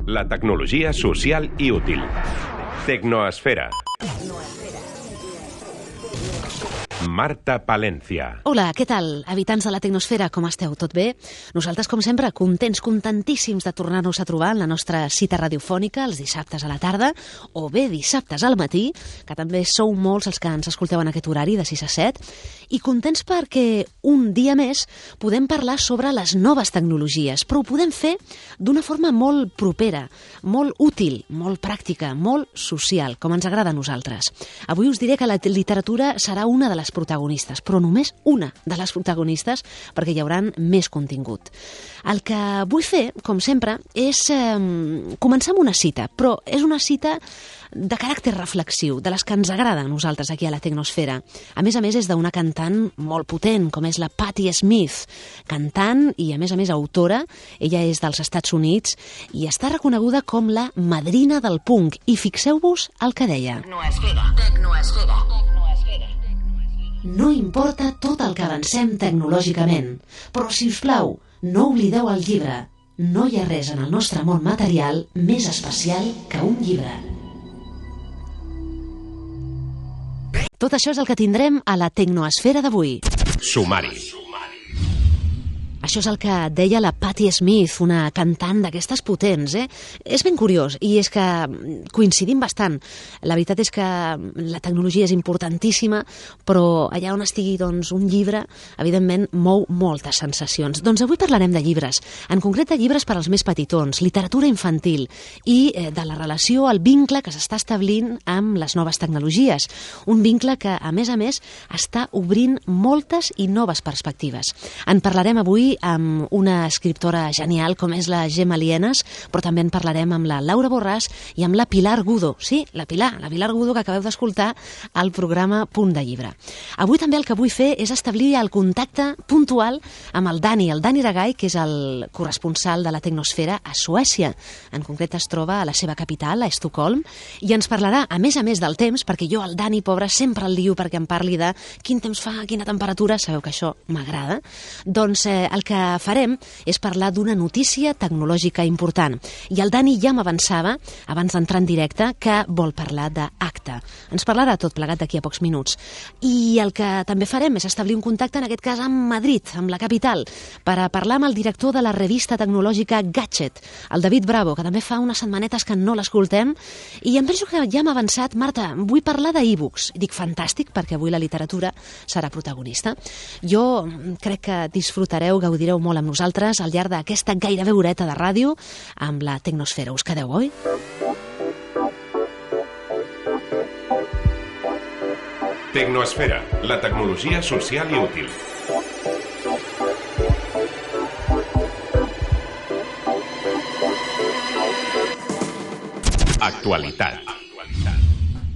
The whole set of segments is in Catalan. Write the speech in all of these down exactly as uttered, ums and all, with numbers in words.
La tecnologia social i útil. Tecnoesfera. Marta Palencia. Hola, què tal? Habitants de la Tecnosfera, com esteu? Tot bé? Nosaltres, com sempre, contents, contentíssims de tornar-nos a trobar en la nostra cita radiofònica els dissabtes a la tarda, o bé dissabtes al matí, que també sou molts els que ens escolteu en aquest horari de sis a set, i contents perquè un dia més podem parlar sobre les noves tecnologies, però ho podem fer d'una forma molt propera, molt útil, molt pràctica, molt social, com ens agrada a nosaltres. Avui us diré que la literatura serà una de les protagonistes, però només una de les protagonistes, perquè hi haurà més contingut. El que vull fer, com sempre, és eh, començar amb una cita, però és una cita de caràcter reflexiu, de les que ens agrada a nosaltres aquí a la Tecnosfera. A més a més, és d'una cantant molt potent, com és la Patti Smith, cantant i, a més a més, autora. Ella és dels Estats Units i està reconeguda com la madrina del punk. I fixeu-vos el que deia. Tecnoesfera, tecnoesfera, tecnoesfera. No importa tot el que avancem tecnològicament, però, si us plau, no oblideu el llibre. No hi ha res en el nostre món material més especial que un llibre. Tot això és el que tindrem a la Tecnoesfera d'avui. Sumari. Això és el que deia la Patti Smith, una cantant d'aquestes potents, eh? És ben curiós, i és que coincidim bastant. La veritat és que la tecnologia és importantíssima, però allà on estigui doncs, un llibre, evidentment, mou moltes sensacions. Doncs avui parlarem de llibres, en concret de llibres per als més petitons, literatura infantil, i eh, de la relació, el vincle que s'està establint amb les noves tecnologies. Un vincle que, a més a més, està obrint moltes i noves perspectives. En parlarem avui amb una escriptora genial com és la Gemma Lienas, però també en parlarem amb la Laura Borràs i amb la Pilar Gudo. Sí, la Pilar, la Pilar Gudo que acabeu d'escoltar al programa Punt de Llibre. Avui també el que vull fer és establir el contacte puntual amb el Dani, el Dani Ragai, que és el corresponsal de la Tecnosfera a Suècia. En concret es troba a la seva capital, a Estocolm, i ens parlarà, a més a més del temps, perquè jo al Dani, pobre, sempre el lio perquè em parli de quin temps fa, quina temperatura, sabeu que això m'agrada. Doncs eh, el que farem és parlar d'una notícia tecnològica important. I el Dani ja m'avançava, abans d'entrar en directe, que vol parlar d'Acta. Ens parlarà tot plegat d'aquí a pocs minuts. I el que també farem és establir un contacte, en aquest cas amb Madrid, amb la capital, per a parlar amb el director de la revista tecnològica Gadget, el David Bravo, que també fa unes setmanetes que no l'escoltem, i em penso que ja m'ha avançat, Marta, vull parlar d'e-books. Dic, fantàstic, perquè avui la literatura serà protagonista. Jo crec que disfrutareu, gaudireu molt amb nosaltres al llarg d'aquesta gairebé horeta de ràdio amb la Tecnosfera. Us quedeu, oi? Tecnoesfera, la tecnologia social i útil. Actualitat.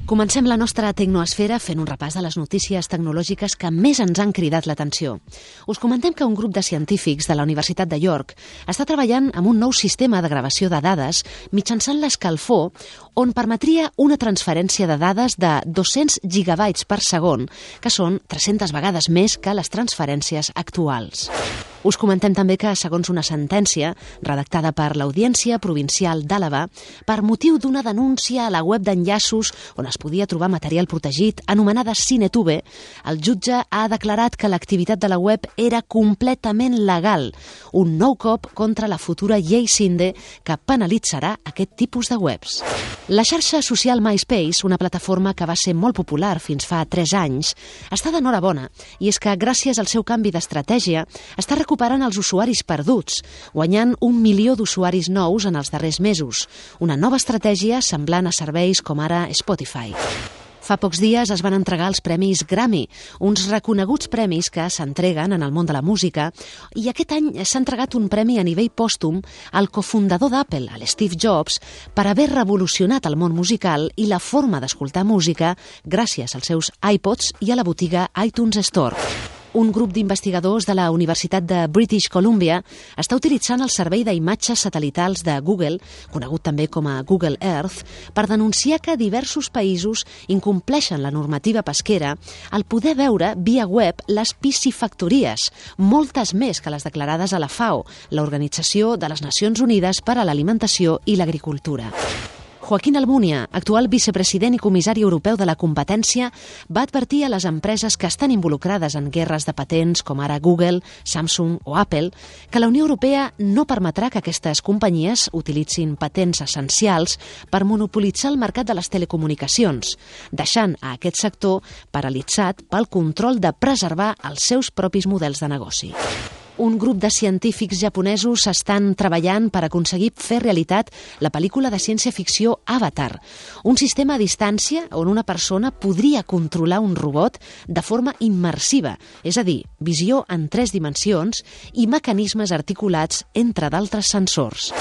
Comencem la nostra Tecnoesfera fent un repàs de les notícies tecnològiques que més ens han cridat l'atenció. Us comentem que un grup de científics de la Universitat de York està treballant amb un nou sistema de gravació de dades mitjançant l'escalfor, on permetria una transferència de dades de dos-cents gigabytes per segon, que són tres-centes vegades més que les transferències actuals. Us comentem també que, segons una sentència redactada per l'Audiència Provincial d'Àlaba, per motiu d'una denúncia a la web d'enllaços on es podia trobar material protegit anomenada CineTube, el jutge ha declarat que l'activitat de la web era completament legal, un nou cop contra la futura llei Cinde que penalitzarà aquest tipus de webs. La xarxa social MySpace, una plataforma que va ser molt popular fins fa tres anys, està d'enhorabona, i és que gràcies al seu canvi d'estratègia està recuperant els usuaris perduts, guanyant un milió d'usuaris nous en els darrers mesos, una nova estratègia semblant a serveis com ara Spotify. Fa pocs dies es van entregar els Premis Grammy, uns reconeguts premis que s'entreguen en el món de la música, i aquest any s'ha entregat un premi a nivell pòstum al cofundador d'Apple, al Steve Jobs, per haver revolucionat el món musical i la forma d'escoltar música gràcies als seus iPods i a la botiga iTunes Store. Un grup d'investigadors de la Universitat de British Columbia està utilitzant el servei d'imatges satelitals de Google, conegut també com a Google Earth, per denunciar que diversos països incompleixen la normativa pesquera al poder veure via web les piscifactories, moltes més que les declarades a la FAO, l'Organització de les Nacions Unides per a l'Alimentació i l'Agricultura. Joaquín Almunia, actual vicepresident i comissari europeu de la competència, va advertir a les empreses que estan involucrades en guerres de patents, com ara Google, Samsung o Apple, que la Unió Europea no permetrà que aquestes companyies utilitzin patents essencials per monopolitzar el mercat de les telecomunicacions, deixant a aquest sector paralitzat pel control de preservar els seus propis models de negoci. Un grup de científics japonesos estan treballant per aconseguir fer realitat la pel·lícula de ciència-ficció Avatar, un sistema a distància on una persona podria controlar un robot de forma immersiva, és a dir, visió en tres dimensions i mecanismes articulats entre d'altres sensors.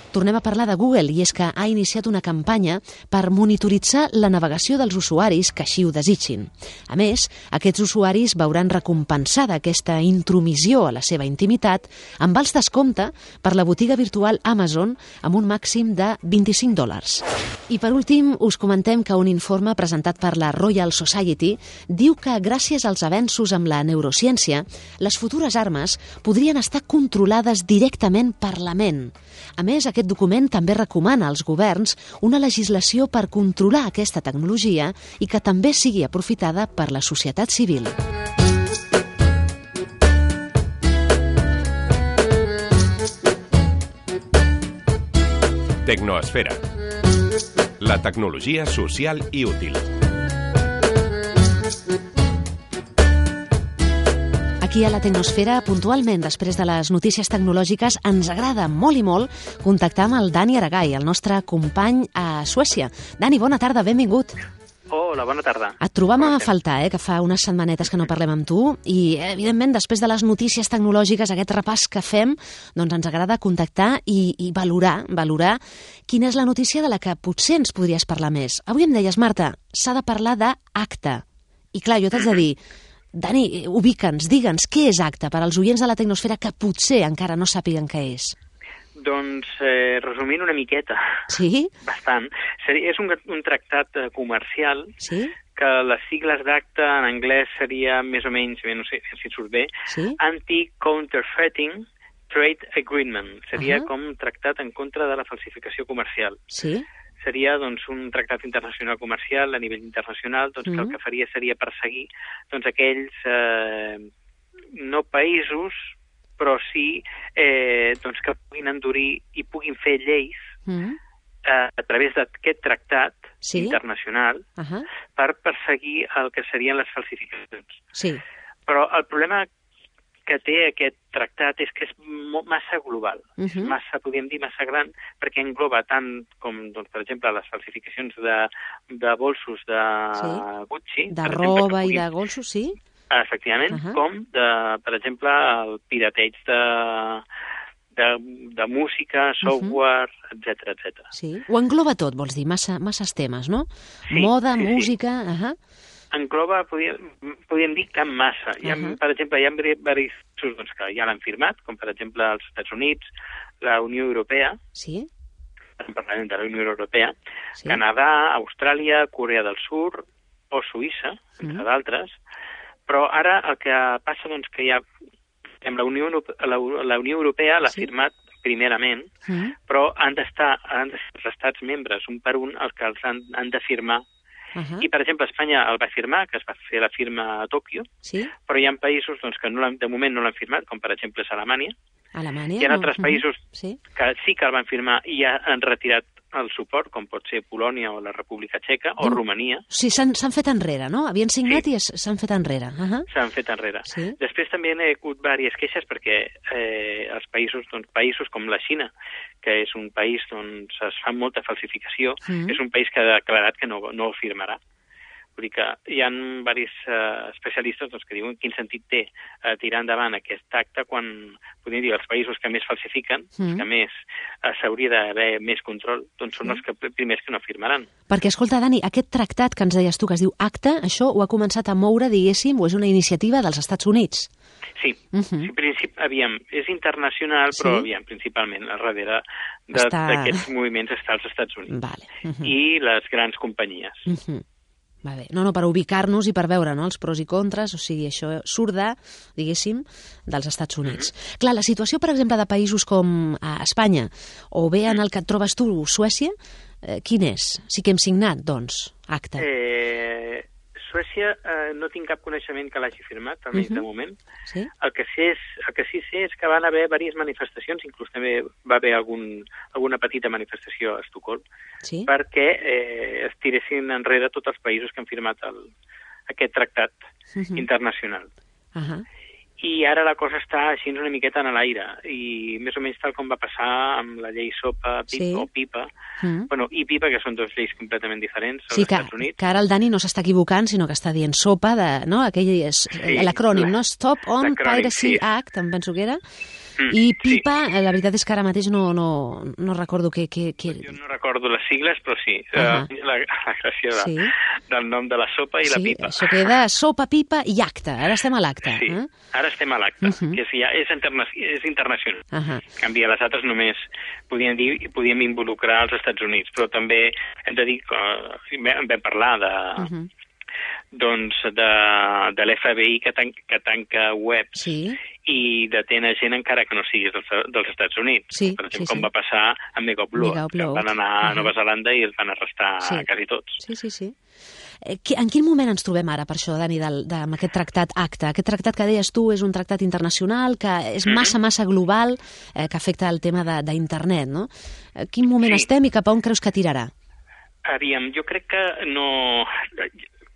Tornem a parlar de Google, i és que ha iniciat una campanya per monitoritzar la navegació dels usuaris que així ho desitgin. A més, aquests usuaris veuran recompensada aquesta intromissió a la seva intimitat amb els descompte per la botiga virtual Amazon amb un màxim de vint-i-cinc dòlars. I per últim, us comentem que un informe presentat per la Royal Society diu que gràcies als avenços amb la neurociència, les futures armes podrien estar controlades directament per la ment. A més, aquest document també recomana als governs una legislació per controlar aquesta tecnologia i que també sigui aprofitada per la societat civil. Tecnoesfera. La tecnologia social i útil. Aquí a la Tecnosfera, puntualment després de les notícies tecnològiques, ens agrada molt i molt contactar amb el Dani Aragay, el nostre company a Suècia. Dani, bona tarda, benvingut. Hola, bona tarda. Et trobam a faltar, eh, que fa unes setmanetes que no parlem amb tu, i evidentment després de les notícies tecnològiques, aquest repàs que fem, doncs ens agrada contactar i, i valorar, valorar quina és la notícia de la que potser ens podries parlar més. Avui em deies, Marta, s'ha de parlar d'ACTA. I clar, jo t'haig de dir, Dani, ubica'ns, digue'ns, què és ACTA per als oients de la Tecnosfera que potser encara no sàpiguen què és? Doncs, eh, resumint una miqueta, sí? bastant, seria, és un, un tractat comercial sí? que les sigles d'ACTA en anglès seria més o menys, bé, no sé si surt bé, sí? Anti-Counterfeiting Trade Agreement. Seria uh-huh. com tractat en contra de la falsificació comercial. Sí? Seria doncs, un tractat internacional comercial a nivell internacional doncs, mm-hmm. que el que faria seria perseguir doncs, aquells eh, no països, però sí eh, doncs, que puguin endurir i puguin fer lleis mm-hmm. eh, a través d'aquest tractat sí? internacional uh-huh. per perseguir el que serien les falsificacions. Sí. Però el problema que té aquest tractat és que és massa global, uh-huh. massa, podríem dir, massa gran, perquè engloba tant com, doncs, per exemple, les falsificacions de, de bolsos de sí. Gucci. De per roba exemple, i de golsos, sí? Efectivament, uh-huh. com, de, per exemple, el pirateig de, de, de música, software, uh-huh. etcètera, etcètera. Sí, ho engloba tot, vols dir, massa, masses temes, no? Sí, Moda, sí, música... Sí. Uh-huh. Engloba, podríem, podríem dir que massa. Hi ha, uh-huh. Per exemple, hi ha diversos doncs, que ja l'han firmat, com per exemple els Estats Units, la Unió Europea, sí? el Parlament de la Unió Europea, sí? Canadà, Austràlia, Corea del Sur o Suïssa, entre uh-huh. d'altres. Però ara el que passa doncs, que hi ha, la Unió, la, la Unió Europea l'ha sí? firmat primerament, uh-huh. però han d'estar han de ser els estats membres, un per un, els que els han, han de firmar. Uh-huh. I, per exemple, Espanya el va firmar, que es va fer la firma a Tòquio, sí? Però hi ha països doncs, que no de moment no l'han firmat, com per exemple és Alemanya. Alemanya? Hi ha altres no. països uh-huh. sí? que sí que el van firmar i ja han retirat el suport, com pot ser Polònia o la República Txeca o no. Romania. Sí, s'han fet enrere, no? Havien signat sí. i s'han fet enrere. Uh-huh. S'han fet enrere. Sí? Després també hi ha hagut diverses queixes perquè eh, els països, doncs, països com la Xina, que és un país on es fa molta falsificació, mm. és un país que ha declarat que no, no ho firmarà. Vull dir que hi ha diversos uh, especialistes doncs, que diuen quin sentit té uh, tirar endavant aquest acte quan, podríem dir, els països que més falsifiquen, mm. que més uh, s'hauria d'haver més control, doncs són sí. els que, primers que no firmaran. Perquè, escolta, Dani, aquest tractat que ens deies tu, que es diu ACTA, això ho ha començat a moure, diguéssim, o és una iniciativa dels Estats Units? Sí, uh-huh. sí princip... aviam, és internacional, però sí? aviam, principalment a darrere d'aquests està... moviments està als Estats Units vale. uh-huh. i les grans companyies. Uh-huh. Vale. No, no, per ubicar-nos i per veure no, els pros i contres, o sigui, això surt de, diguéssim, dels Estats Units. Uh-huh. Clar, la situació, per exemple, de països com a Espanya, o bé en el que et trobes tu, Suècia, eh, quin és? Sí que hem signat, doncs, acte. Eh... Suècia eh, no tinc cap coneixement que l'hagi firmat, almenys uh-huh. de moment. Sí? El que, sé és, el que sí sé és que van haver diverses manifestacions, inclús també va haver algun, alguna petita manifestació a Estocolm, sí? perquè eh, es tiressin enrere tots els països que han firmat el, aquest tractat uh-huh. internacional. Uh-huh. I ara la cosa està així una miqueta en l'aire, i més o menys tal com va passar amb la llei SOPA pipa, sí. o PIPA, mm. bueno, i PIPA, que són dues lleis completament diferents als sí, que, Estats Units. que ara el Dani no s'està equivocant, sinó que està dient SOPA, de, no? Aquell és sí, l'acrònim, no? Stop on Piracy sí. Act, em penso que era. Mm, I PIPA, sí. la veritat és que ara mateix no, no, no recordo què... què, què... Jo no recordo les sigles, però sí, uh-huh. uh, la, la gràcia de, sí. del nom de la sopa i sí, la pipa. Sí, això queda sopa, pipa i acte. Ara estem a l'acte. Sí, eh? ara estem a l'acte, uh-huh. que és, ja, és, interna és internacional. Uh-huh. En canvi, a les altres només podíem, dir, podíem involucrar els Estats Units, però també hem de dir que vam parlar de... Uh-huh. doncs de, de l'F B I que, tan, que tanca webs sí. i detén a gent encara que no siguis dels, dels Estats Units. Sí, per exemple, sí, com sí. va passar amb Mega Upload, que van anar a Nova Zelanda i els van arrestar sí. quasi tots. Sí, sí, sí. En quin moment ens trobem ara, per això, Dani, de, de, amb aquest tractat ACTA? Aquest tractat que deies tu és un tractat internacional, que és massa, mm-hmm. massa global, eh, que afecta el tema d'internet, no? En quin moment sí. estem i cap a on creus que tirarà? Aviam, jo crec que no...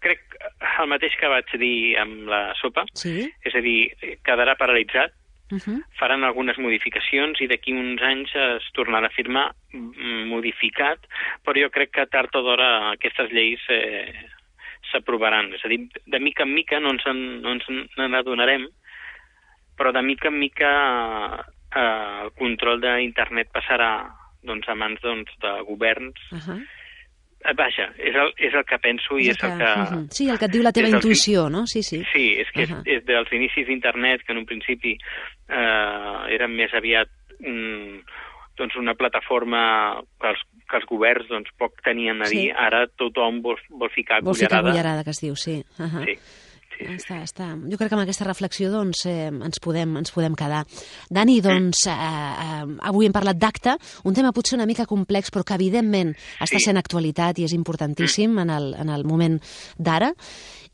Crec el mateix que vaig dir amb la sopa, sí? És a dir, quedarà paralitzat, uh-huh. faran algunes modificacions i d'aquí uns anys es tornarà a firmar modificat, però jo crec que tard o d'hora aquestes lleis eh, s'aprovaran. És a dir, de mica en mica no ens, en, no ens n'adonarem, però de mica en mica eh, el control d'internet passarà doncs, a mans doncs, de governs. Uh-huh. Vaja, és el, és el que penso i és el que... Uh -huh. Sí, el que et diu la teva intuïció, no? Sí, sí. Sí, és que uh -huh. és, és dels inicis d'internet, que en un principi eh, eren més aviat un, doncs una plataforma que els, que els governs doncs, poc tenien a dir, sí. ara tothom vol, vol ficar vol cullerada. Vol ficar cullerada, que es diu, sí. Uh -huh. Sí. Sí, sí. Està, està. Jo crec que amb aquesta reflexió doncs, eh, ens, podem, ens podem quedar. Dani, doncs, eh, eh, avui hem parlat d'acte, un tema potser una mica complex, però que evidentment sí. està sent actualitat i és importantíssim mm. en, el, en el moment d'ara.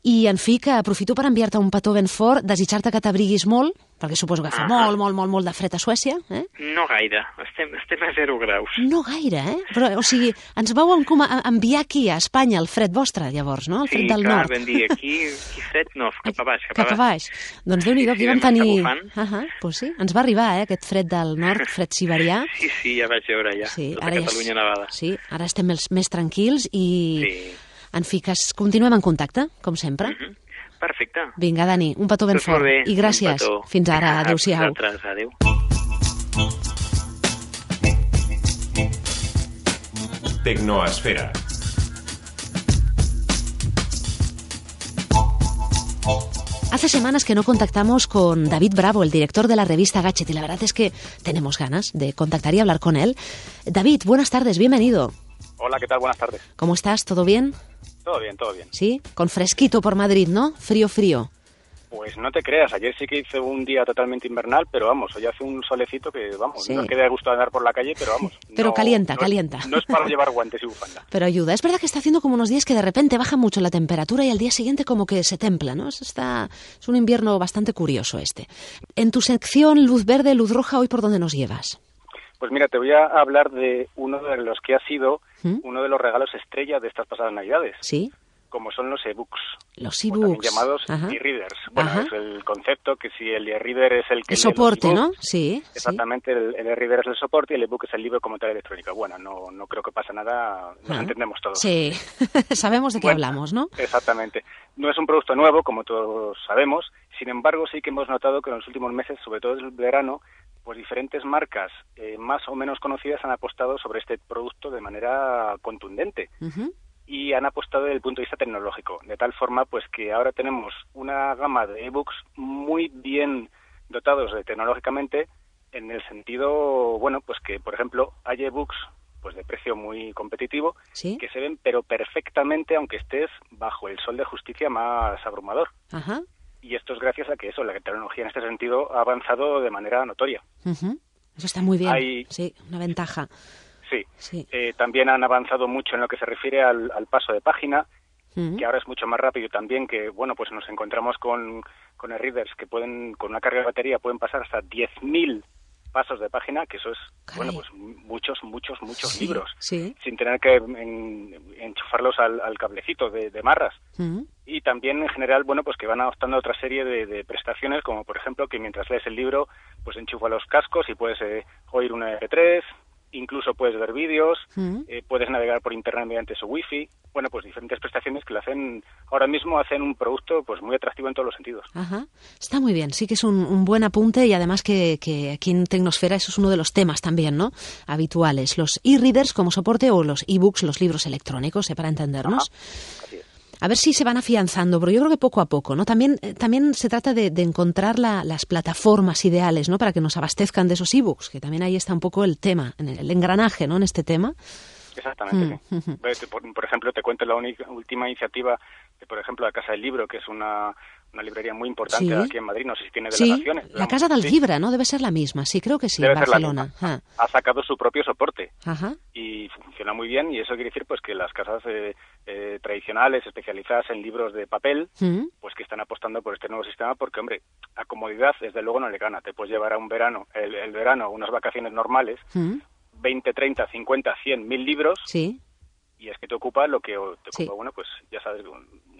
I, en fi, que aprofito per enviar-te un petó ben fort, desitjar-te que t'abriguis molt, perquè suposo que fa ah. molt, molt, molt, molt de fred a Suècia. Eh? No gaire, estem, estem a zero graus. No gaire, eh? Però, o sigui, ens vau enviar aquí, a Espanya, el fred vostre, llavors, no? El fred sí, del clar, nord. Sí, clar, vam dir, aquí, aquí fred no, cap a baix, cap, cap a baix. baix. Doncs Déu-n'hi-do, aquí sí, vam tenir... Uh -huh, pues sí, ens va arribar, eh, aquest fred del nord, fred siberià. Sí, sí, ja vaig veure ja, sí, tota Catalunya nevada. Sí, ara estem més, més tranquils i, sí. en fi, que continuem en contacte, com sempre. Uh -huh. Perfecte. Vinga, Dani, un petó ben tot fort. Bé, I gràcies. Fins ara. Adéu-siau. Adéu. Tecnoesfera. Hace semanas que no contactamos con David Bravo, el director de la revista Gadget, y la verdad es que tenemos ganas de contactar y hablar con él. David, buenas tardes, bienvenido. Hola, ¿qué tal? Buenas tardes. ¿Cómo estás? ¿Todo bien? Todo bien, todo bien. ¿Sí? Con fresquito por Madrid, ¿no? Frío, frío. Pues no te creas, ayer sí que hice un día totalmente invernal, pero vamos, hoy hace un solecito que, vamos, sí. no es que dé gusto andar por la calle, pero vamos. Pero no, calienta, no, calienta. No es para llevar guantes y bufanda. Pero ayuda. Es verdad que está haciendo como unos días que de repente baja mucho la temperatura y al día siguiente como que se templa, ¿no? Está, es un invierno bastante curioso este. En tu sección Luz Verde, Luz Roja, ¿hoy por dónde nos llevas? Pues mira, te voy a hablar de uno de los que ha sido ¿Mm? uno de los regalos estrella de estas pasadas Navidades. ¿Sí? como son los ebooks. Los ebooks. También llamados Ajá. e-readers. Bueno, Ajá. es el concepto que si el e-reader es el que... El soporte, ¿no? Sí. Exactamente, sí. el, el e-reader es el soporte y el ebook es el libro como tal electrónico. Bueno, no, no creo que pase nada, nos Ajá. entendemos todos. Sí, sabemos de qué bueno, hablamos, ¿no? Exactamente. No es un producto nuevo, como todos sabemos, sin embargo sí que hemos notado que en los últimos meses, sobre todo el verano, pues diferentes marcas eh, más o menos conocidas han apostado sobre este producto de manera contundente. Uh-huh. Y han apostado desde el punto de vista tecnológico, de tal forma pues que ahora tenemos una gama de ebooks muy bien dotados de, tecnológicamente, en el sentido, bueno, pues que, por ejemplo, hay ebooks pues de precio muy competitivo, ¿Sí? que se ven pero perfectamente aunque estés bajo el sol de justicia más abrumador. Ajá. Y esto es gracias a que eso, la tecnología en este sentido ha avanzado de manera notoria. Uh-huh. Eso está muy bien, hay... sí, una ventaja. Sí, sí. Eh, también han avanzado mucho en lo que se refiere al, al paso de página, uh-huh. que ahora es mucho más rápido también, que bueno, pues nos encontramos con, con e-readers que pueden, con una carga de batería, pueden pasar hasta diez mil pasos de página, que eso es, Caray. bueno, pues muchos, muchos, muchos sí, libros, sí. sin tener que en, enchufarlos al, al cablecito de, de marras. Uh-huh. Y también, en general, bueno, pues que van adoptando otra serie de, de prestaciones, como por ejemplo que mientras lees el libro, pues enchufa los cascos y puedes eh, oír una eme pe tres, incluso puedes ver vídeos, uh-huh. eh, puedes navegar por internet mediante su wifi. Bueno, pues diferentes prestaciones que lo hacen, ahora mismo hacen un producto pues muy atractivo en todos los sentidos. Ajá. Está muy bien, sí que es un, un buen apunte y además que, que aquí en Tecnosfera eso es uno de los temas también, ¿no? Habituales, los e-readers como soporte o los e-books, los libros electrónicos, ¿eh? Para entendernos. Ajá. Así es. A ver si se van afianzando, pero yo creo que poco a poco, ¿no? También, eh, también se trata de, de encontrar la, las plataformas ideales, ¿no? Para que nos abastezcan de esos e-books, que también ahí está un poco el tema, el engranaje, ¿no? En este tema. Exactamente, mm, sí. Mm. Por, por ejemplo, te cuento la única, última iniciativa de, por ejemplo, la Casa del Libro, que es una, una librería muy importante sí. aquí en Madrid, no sé si tiene delegaciones. Sí, la Casa del sí. Libro, ¿no? Debe ser la misma, sí, creo que sí, Debe en Barcelona. Ah. Ha sacado su propio soporte. Ajá. Y funciona muy bien, y eso quiere decir pues que las casas eh, eh, tradicionales, especializadas en libros de papel, ¿Mm? pues que están apostando por este nuevo sistema, porque, hombre, a comodidad, desde luego, no le gana. Te puedes llevar a un verano, el, el verano, unas vacaciones normales, ¿Mm? veinte, treinta, cincuenta, cien, mil libros, sí. y es que te ocupa lo que te ocupa, sí. bueno, pues ya sabes,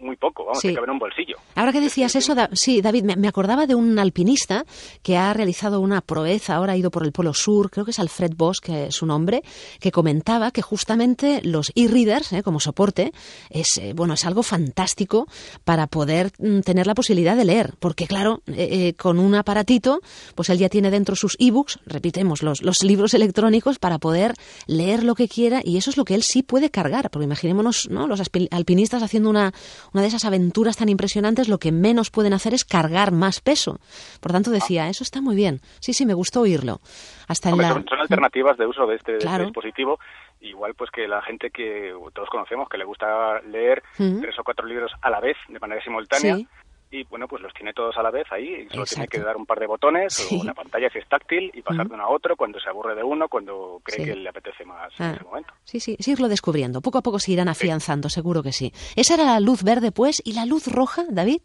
muy poco, vamos, sí. te cabe en un bolsillo. Ahora que decías es, eso, da, sí, David, me, me acordaba de un alpinista que ha realizado una proeza, ahora ha ido por el Polo Sur, creo que es Alfred Bosch, que es su nombre, que comentaba que justamente los e-readers, eh, como soporte, es eh, bueno es algo fantástico para poder mm, tener la posibilidad de leer, porque claro, eh, eh, con un aparatito, pues él ya tiene dentro sus e-books, repitemos, los, los libros electrónicos para poder leer lo que quiera, y eso es lo que él sí puede cargar, porque imaginémonos, ¿no?, los alpinistas haciendo una una de esas aventuras tan impresionantes, lo que menos pueden hacer es cargar más peso. Por tanto, decía, eso está muy bien. Sí, sí, me gustó oírlo. Hasta Hombre, en la... son, son alternativas de uso de este, claro. de este dispositivo, igual pues que la gente que todos conocemos, que le gusta leer uh-huh. tres o cuatro libros a la vez, de manera simultánea, sí. y bueno, pues los tiene todos a la vez ahí, y solo Exacto. tiene que dar un par de botones, sí. o la pantalla si es táctil, y pasar uh-huh. de uno a otro cuando se aburre de uno, cuando cree sí. que le apetece más ah. en ese momento. Sí, sí, sí, irlo descubriendo. Poco a poco se irán afianzando, sí. seguro que sí. Esa era la luz verde, pues, ¿y la luz roja, David?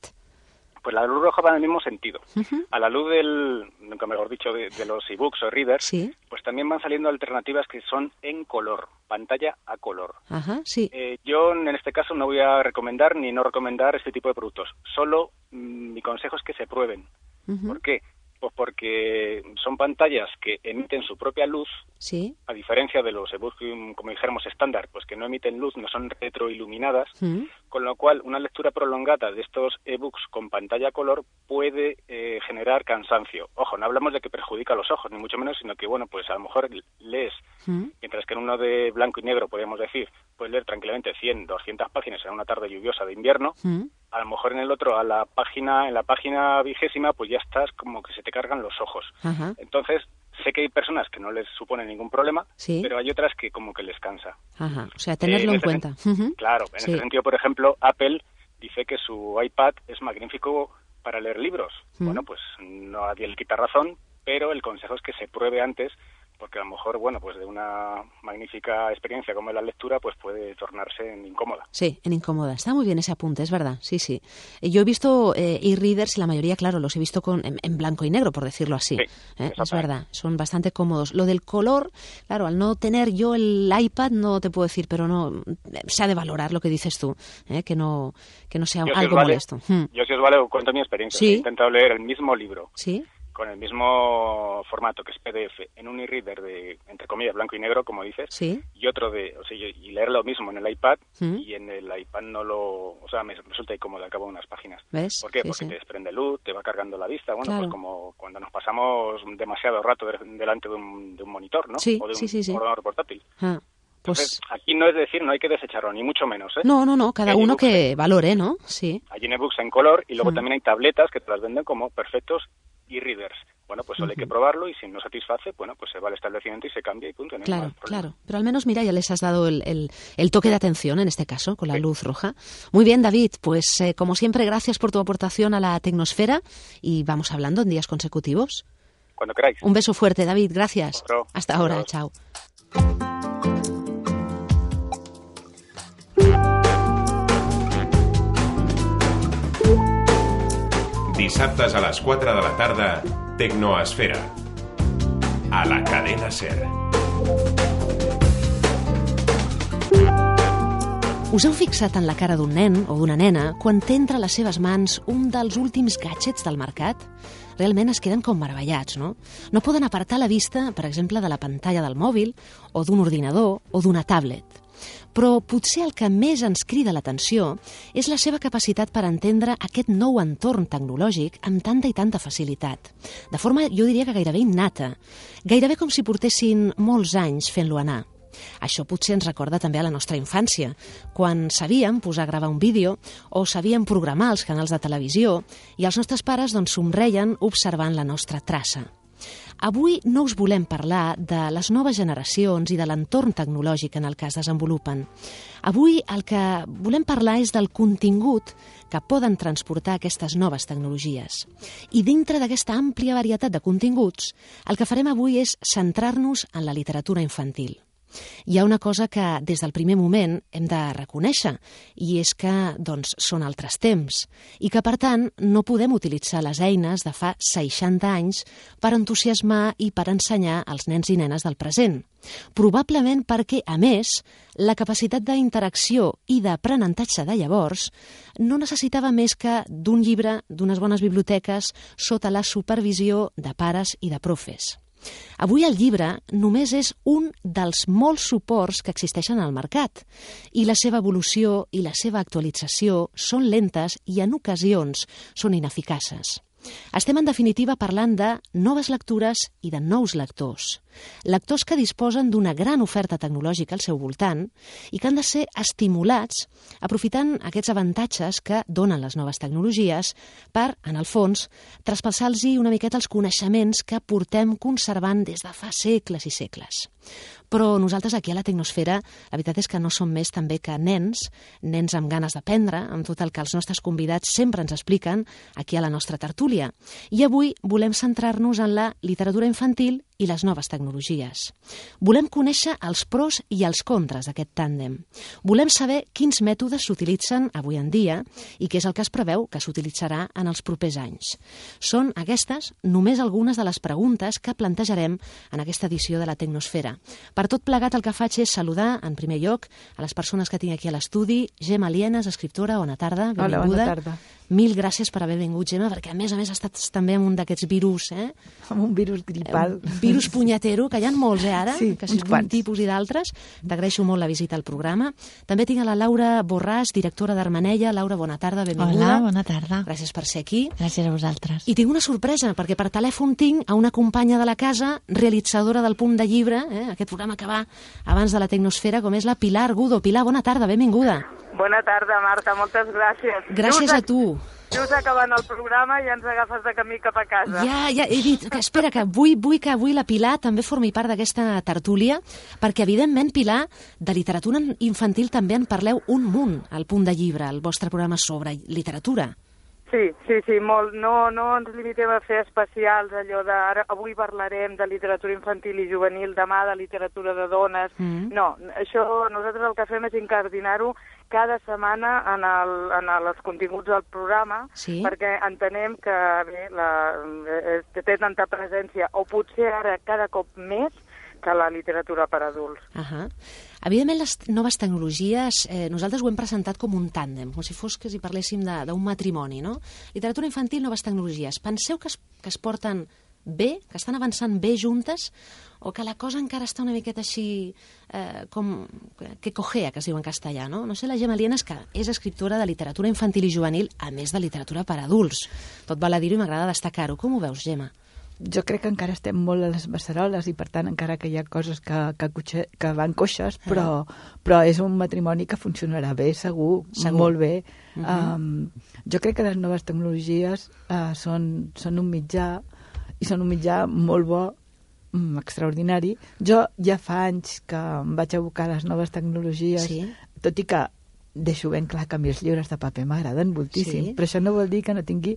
Pues la luz roja va en el mismo sentido. Uh-huh. A la luz del, nunca mejor dicho, de, de los ebooks o readers, sí. pues también van saliendo alternativas que son en color, pantalla a color. Ajá, sí. Eh, yo en este caso no voy a recomendar ni no recomendar este tipo de productos. Solo mmm, mi consejo es que se prueben. Uh-huh. ¿Por qué? Pues porque son pantallas que emiten su propia luz, sí. a diferencia de los ebooks, como dijéramos, estándar, pues que no emiten luz, no son retroiluminadas, uh-huh. con lo cual una lectura prolongada de estos ebooks con pantalla a color puede eh, generar cansancio. Ojo, no hablamos de que perjudica a los ojos, ni mucho menos, sino que, bueno, pues a lo mejor lees, uh-huh. mientras que en uno de blanco y negro, podríamos decir, puedes leer tranquilamente cien, doscientas páginas en una tarde lluviosa de invierno, uh-huh. a lo mejor en el otro, a la página, en la página vigésima, pues ya estás como que se te cargan los ojos. Uh-huh. Entonces, sé que hay personas que no les supone ningún problema, ¿sí? pero hay otras que como que les cansa. Ajá. O sea, tenerlo eh, en en cuenta. Sen- uh-huh. Claro, en sí. ese sentido, por ejemplo, Apple dice que su iPad es magnífico para leer libros. Uh-huh. Bueno, pues no, nadie le quita razón, pero el consejo es que se pruebe antes porque a lo mejor, bueno, pues de una magnífica experiencia como es la lectura, pues puede tornarse en incómoda. Sí, en incómoda. Está muy bien ese apunte, es verdad, sí, sí. Yo he visto eh, e-readers y la mayoría, claro, los he visto con, en, en blanco y negro, por decirlo así. Sí, ¿eh? Es verdad, son bastante cómodos. Lo del color, claro, al no tener yo el iPad, no te puedo decir, pero no, se ha de valorar lo que dices tú, ¿eh? que no que no sea yo algo si vale, molesto. Hmm. Yo si os vale, cuento mi experiencia. ¿Sí? He intentado leer el mismo libro. ¿Sí? Con el mismo formato que es P D F en un e-reader de, entre comillas, blanco y negro, como dices, ¿Sí? y otro de, o sea, y leer lo mismo en el iPad, ¿Mm? y en el iPad no lo, o sea, me resulta incómodo al cabo de unas páginas. ¿Ves? ¿Por qué? Sí, Porque sí. te desprende luz, te va cargando la vista, bueno, Claro. pues como cuando nos pasamos demasiado rato de, delante de un, de un monitor, ¿no? Sí, o de un sí, sí, sí. ordenador portátil. Ah, pues Entonces, aquí no es decir, no hay que desecharlo, ni mucho menos, ¿eh? no, no, no, cada Hay uno ebooks que en- valore, ¿no? Sí. Hay ebooks en color y luego Mm. también hay tabletas que te las venden como perfectos e-readers. Bueno, pues solo hay que probarlo y si no satisface, bueno, pues se va al establecimiento y se cambia y punto. No hay Claro, más problema. claro. Pero al menos, mira, ya les has dado el, el, el toque de atención en este caso, con la luz roja. Muy bien, David, pues eh, como siempre, gracias por tu aportación a la tecnosfera y vamos hablando en días consecutivos. Cuando queráis. Un beso fuerte, David, gracias. Otro. Hasta ahora, Adiós. chao. Dissabtes a les quatre de la tarda, Tecnoesfera. A la cadena SER. Us heu fixat en la cara d'un nen o d'una nena quan té entre les seves mans un dels últims gadgets del mercat? Realment es queden com meravellats, no? No poden apartar la vista, per exemple, de la pantalla del mòbil o d'un ordinador o d'una tablet. Però potser el que més ens crida l'atenció és la seva capacitat per entendre aquest nou entorn tecnològic amb tanta i tanta facilitat. De forma, jo diria que gairebé innata. Gairebé com si portessin molts anys fent-lo anar. Això potser ens recorda també a la nostra infància, quan sabíem posar a gravar un vídeo o sabíem programar els canals de televisió i els nostres pares doncs, somreien observant la nostra traça. Avui no us volem parlar de les noves generacions i de l'entorn tecnològic en el que es desenvolupen. Avui el que volem parlar és del contingut que poden transportar aquestes noves tecnologies. I dintre d'aquesta àmplia varietat de continguts, el que farem avui és centrar-nos en la literatura infantil. Hi ha una cosa que des del primer moment hem de reconèixer i és que doncs, són altres temps i que per tant no podem utilitzar les eines de fa seixanta anys per entusiasmar i per ensenyar als nens i nenes del present. Probablement perquè, a més, la capacitat d'interacció i d'aprenentatge de llavors no necessitava més que d'un llibre, d'unes bones biblioteques, sota la supervisió de pares i de profes. Avui el llibre només és un dels molts suports que existeixen al mercat i la seva evolució i la seva actualització són lentes i en ocasions són ineficaces. Estem en definitiva parlant de noves lectures i de nous lectors. Lectors que disposen d'una gran oferta tecnològica al seu voltant i que han de ser estimulats aprofitant aquests avantatges que donen les noves tecnologies per, en el fons, traspassar-los una miqueta els coneixements que portem conservant des de fa segles i segles. Però nosaltres aquí a la Tecnosfera la veritat és que no som més també que nens, nens amb ganes d'aprendre, amb tot el que els nostres convidats sempre ens expliquen aquí a la nostra tertúlia. I avui volem centrar-nos en la literatura infantil i les noves tecnologies. Volem conèixer els pros i els contres d'aquest tàndem. Volem saber quins mètodes s'utilitzen avui en dia i què és el que es preveu que s'utilitzarà en els propers anys. Són aquestes només algunes de les preguntes que plantejarem en aquesta edició de la Tecnosfera. Per tot plegat el que faig és saludar, en primer lloc, a les persones que tinc aquí a l'estudi. Gemma Lienes, escriptora, bona tarda, benvinguda. Hola, bona tarda. Mil gràcies per haver vingut, Gemma, perquè a més a més estàs també amb un d'aquests virus, eh? Amb un virus gripal. Un virus punyetero, que hi ha molts, eh, ara? Sí, que si uns d'un quants. tipus i d'altres. T'agraeixo molt la visita al programa. També tinc a la Laura Borràs, directora d'Armanella. Laura, bona tarda, benvinguda. Hola, bona tarda. Gràcies per ser aquí. Gràcies a vosaltres. I tinc una sorpresa, perquè per telèfon tinc a una companya de la casa, realitzadora del Punt de Llibre, eh, aquest programa que va abans de la Tecnosfera, com és la Pilar Gudo. Pilar, bona tarda, benvinguda. Bona tarda, Marta, moltes gràcies. Gràcies a tu. Just acabant el programa i ens agafes de camí cap a casa. Ja, ja, he dit, que espera, que vull, vull que avui la Pilar també formi part d'aquesta tertúlia, perquè evidentment, Pilar, de literatura infantil també en parleu un munt al Punt de Llibre, el vostre programa sobre literatura. Sí, sí, sí, molt. No, no ens limitem a fer especials, allò de ara, avui parlarem de literatura infantil i juvenil, demà de literatura de dones. Mm. No, això nosaltres el que fem és incardinar-ho cada setmana en, el, en els continguts del programa, sí? Perquè entenem que bé, la, eh, té tanta presència, o potser ara cada cop més, que la literatura per adults. Uh -huh. Evidentment, les noves tecnologies, eh, nosaltres ho hem presentat com un tàndem, com si fos que si parléssim d'un matrimoni, no? Literatura infantil, noves tecnologies. Penseu que es, que es porten bé, que estan avançant bé juntes, o que la cosa encara està una miqueta així eh, com que cojea, que es diu en castellà, no? No sé, la Gemma Lienas, que és escriptora de literatura infantil i juvenil, a més de literatura per adults. Tot val a dir-ho i m'agrada destacar-ho. Com ho veus, Gemma? Jo crec que encara estem molt a les beceroles i, per tant, encara que hi ha coses que, que, cotxe, que van coixes, però, però és un matrimoni que funcionarà bé, segur, segur. Molt bé. Uh -huh. um, jo crec que les noves tecnologies uh, són, són un mitjà, i són un mitjà molt bo, um, extraordinari. Jo ja fa anys que em vaig abocar a les noves tecnologies, sí? Tot i que deixo ben clar que a mi els llibres de paper m'agraden moltíssim, sí? Però això no vol dir que no tingui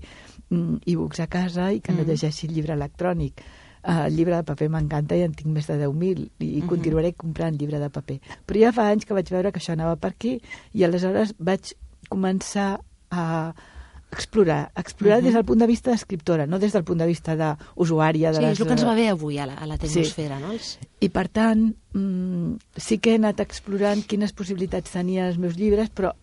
mm, e-books a casa i que no mm. llegeixi el llibre electrònic. Uh, el llibre de paper m'encanta i en tinc més de deu mil i uh -huh. continuaré comprant llibre de paper. Però ja fa anys que vaig veure que això anava per aquí i aleshores vaig començar a explorar, explorar uh -huh. des del punt de vista d'escriptora, no des del punt de vista d'usuària. De sí, les... és el que ens va bé avui a la, a la tecnosfera, sí. No? Els... I per tant, mmm, sí que he anat explorant quines possibilitats tenien els meus llibres, però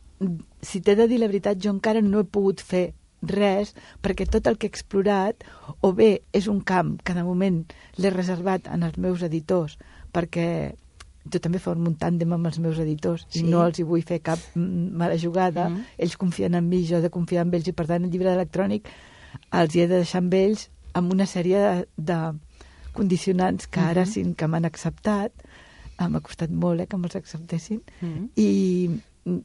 si t'he de dir la veritat, jo encara no he pogut fer res, perquè tot el que he explorat, o bé és un camp que de moment l'he reservat en els meus editors, perquè jo també formo un tàndem amb els meus editors, sí? I no els hi vull fer cap mala jugada, mm. Ells confien en mi, jo he de confiar en ells, i per tant el llibre electrònic els hi he de deixar amb ells amb una sèrie de, de condicionants que ara mm -hmm. sí que m'han acceptat. M'ha costat molt eh, que me'ls acceptessin. Mm -hmm. I,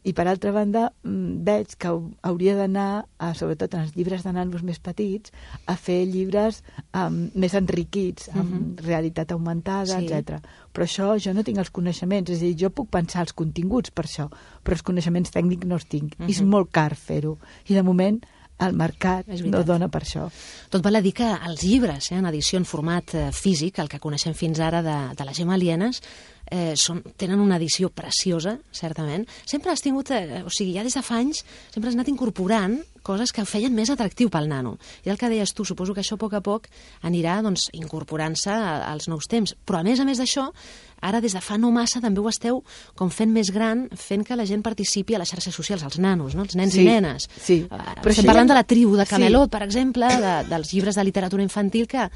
i per altra banda veig que hauria d'anar, sobretot en els llibres de nanos més petits, a fer llibres um, més enriquits, amb mm -hmm. realitat augmentada, sí. etcètera. Però això jo no tinc els coneixements, és a dir, jo puc pensar els continguts per això, però els coneixements tècnics no els tinc. Mm -hmm. I és molt car fer-ho. I de moment el mercat no dona per això. Tot val a dir que els llibres, eh, en edició en format eh, físic, el que coneixem fins ara de, de la Gemma Lienas, eh, són, tenen una edició preciosa, certament. Sempre has tingut, eh, o sigui, ja des de fa anys, sempre has anat incorporant coses que feien més atractiu pel nano. I el que deies tu, suposo que això a poc a poc anirà doncs, incorporant-se als nous temps. Però a més a més d'això, ara des de fa no massa també ho esteu com fent més gran, fent que la gent participi a les xarxes socials, els nanos, no? Els nens sí, i nenes. Sí. Uh, Estem parlant ja... de la tribu de Camelot, sí. Per exemple, de, dels llibres de literatura infantil que...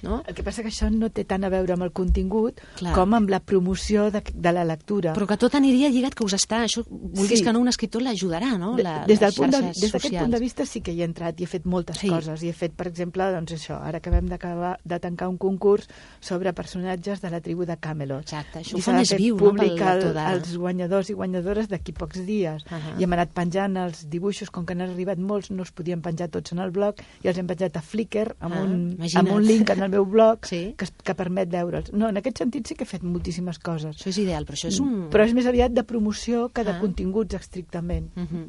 No? El que passa que això no té tant a veure amb el contingut Clar. Com amb la promoció de, de la lectura. Però que tot aniria lligat, que us està, això, vulguis sí. que no, un escriptor l'ajudarà, no? La, des del punt de, des d'aquest punt de vista sí que hi he entrat i he fet moltes sí. coses. I he fet, per exemple, doncs això, ara acabem de tancar un concurs sobre personatges de la tribu de Camelot. Exacte, això ho fa més viu, no? Pel lector de... els guanyadors i guanyadores d'aquí pocs dies. Uh -huh. I hem anat penjant els dibuixos, com que n'han arribat molts, no els podíem penjar tots en el blog, i els hem penjat a Flickr, amb, ah, un, amb un link en el meu blog, sí. que, que permet veure'ls. No, en aquest sentit sí que he fet moltíssimes coses. Això és ideal, però això és un... Però és més aviat de promoció que de ah. continguts estrictament. Uh -huh.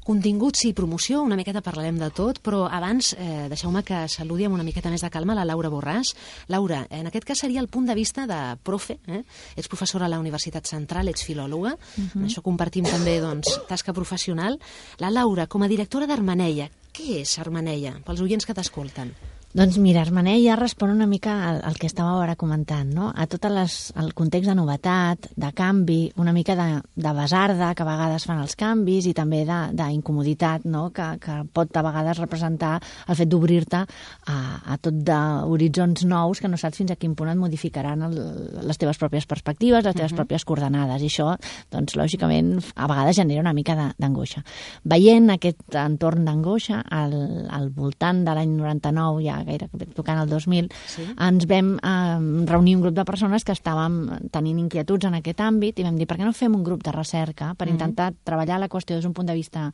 Continguts i promoció, una miqueta parlarem de tot, però abans eh, deixeu-me que saludi amb una miqueta més de calma la Laura Borràs. Laura, en aquest cas seria el punt de vista de profe, eh? Ets professora a la Universitat Central, ets filòloga, uh -huh. en això compartim també doncs, tasca professional. La Laura, com a directora d'Armeneia, què és Armeneia, pels oients que t'escolten? Doncs mira, Armeneia respon una mica al, al que estàveu ara comentant, no? A tot les, el context de novetat, de canvi, una mica de, de besarda que a vegades fan els canvis i també d'incomoditat, no? Que, que pot a vegades representar el fet d'obrir-te a, a tot d'horitzons nous que no saps fins a quin punt et modificaran el, les teves pròpies perspectives, les teves uh-huh. pròpies coordenades, i això, doncs, lògicament, a vegades genera una mica d'angoixa. Veient aquest entorn d'angoixa, al, al voltant de l'any noranta-nou, ja gairebé tocant el dos mil, sí. ens vam eh, reunir un grup de persones que estàvem tenint inquietuds en aquest àmbit i vam dir, per què no fem un grup de recerca per mm. intentar treballar la qüestió des d'un punt de vista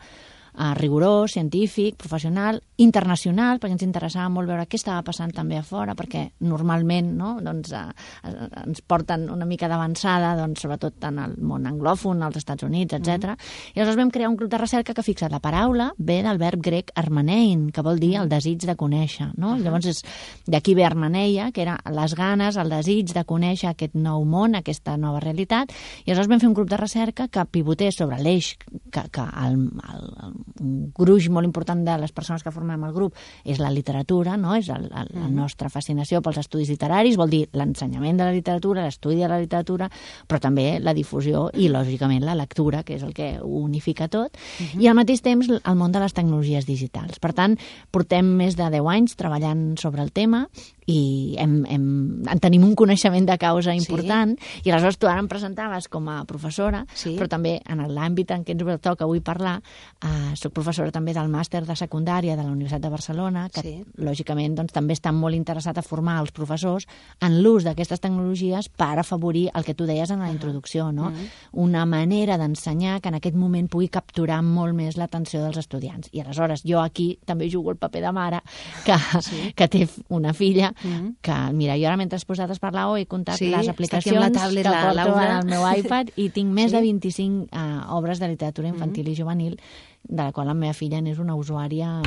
uh, rigorós, científic, professional, internacional, perquè ens interessava molt veure què estava passant també a fora, perquè normalment no, doncs, uh, uh, ens porten una mica d'avançada, doncs, sobretot en el món anglòfon, als Estats Units, etcètera. Mm. I aleshores vam crear un grup de recerca que, fixa't, la paraula ve del verb grec armanein, que vol dir el desig de conèixer. No? Uh-huh. Llavors, d'aquí ve armaneia, que era les ganes, el desig de conèixer aquest nou món, aquesta nova realitat, i aleshores vam fer un grup de recerca que pivotés sobre l'eix que, que el, el, el, un gruix molt important de les persones que formem el grup és la literatura, no? És el, el, la nostra fascinació pels estudis literaris, vol dir l'ensenyament de la literatura, l'estudi de la literatura, però també la difusió i, lògicament, la lectura, que és el que ho unifica tot, uh-huh. i al mateix temps el món de les tecnologies digitals. Per tant, portem més de deu anys treballant sobre el tema i hem, hem, en tenim un coneixement de causa important, sí. I aleshores tu ara em presentaves com a professora, sí. Però també en l'àmbit en què ens toca avui parlar, eh, soc professora també del màster de secundària de la Universitat de Barcelona, que sí. Lògicament doncs, també està molt interessat a formar els professors en l'ús d'aquestes tecnologies per afavorir el que tu deies en la introducció, no? Uh-huh. Una manera d'ensenyar que en aquest moment pugui capturar molt més l'atenció dels estudiants. I aleshores jo aquí també jugo el paper de mare que, sí. que té una filla Mm. que, mira, jo ara mentre has posat a parlar he comptat sí, les aplicacions la tablet, que porto Laura. al meu iPad i tinc més sí. de vint-i-cinc uh, obres de literatura infantil mm. i juvenil, de la qual la meva filla n'és una usuària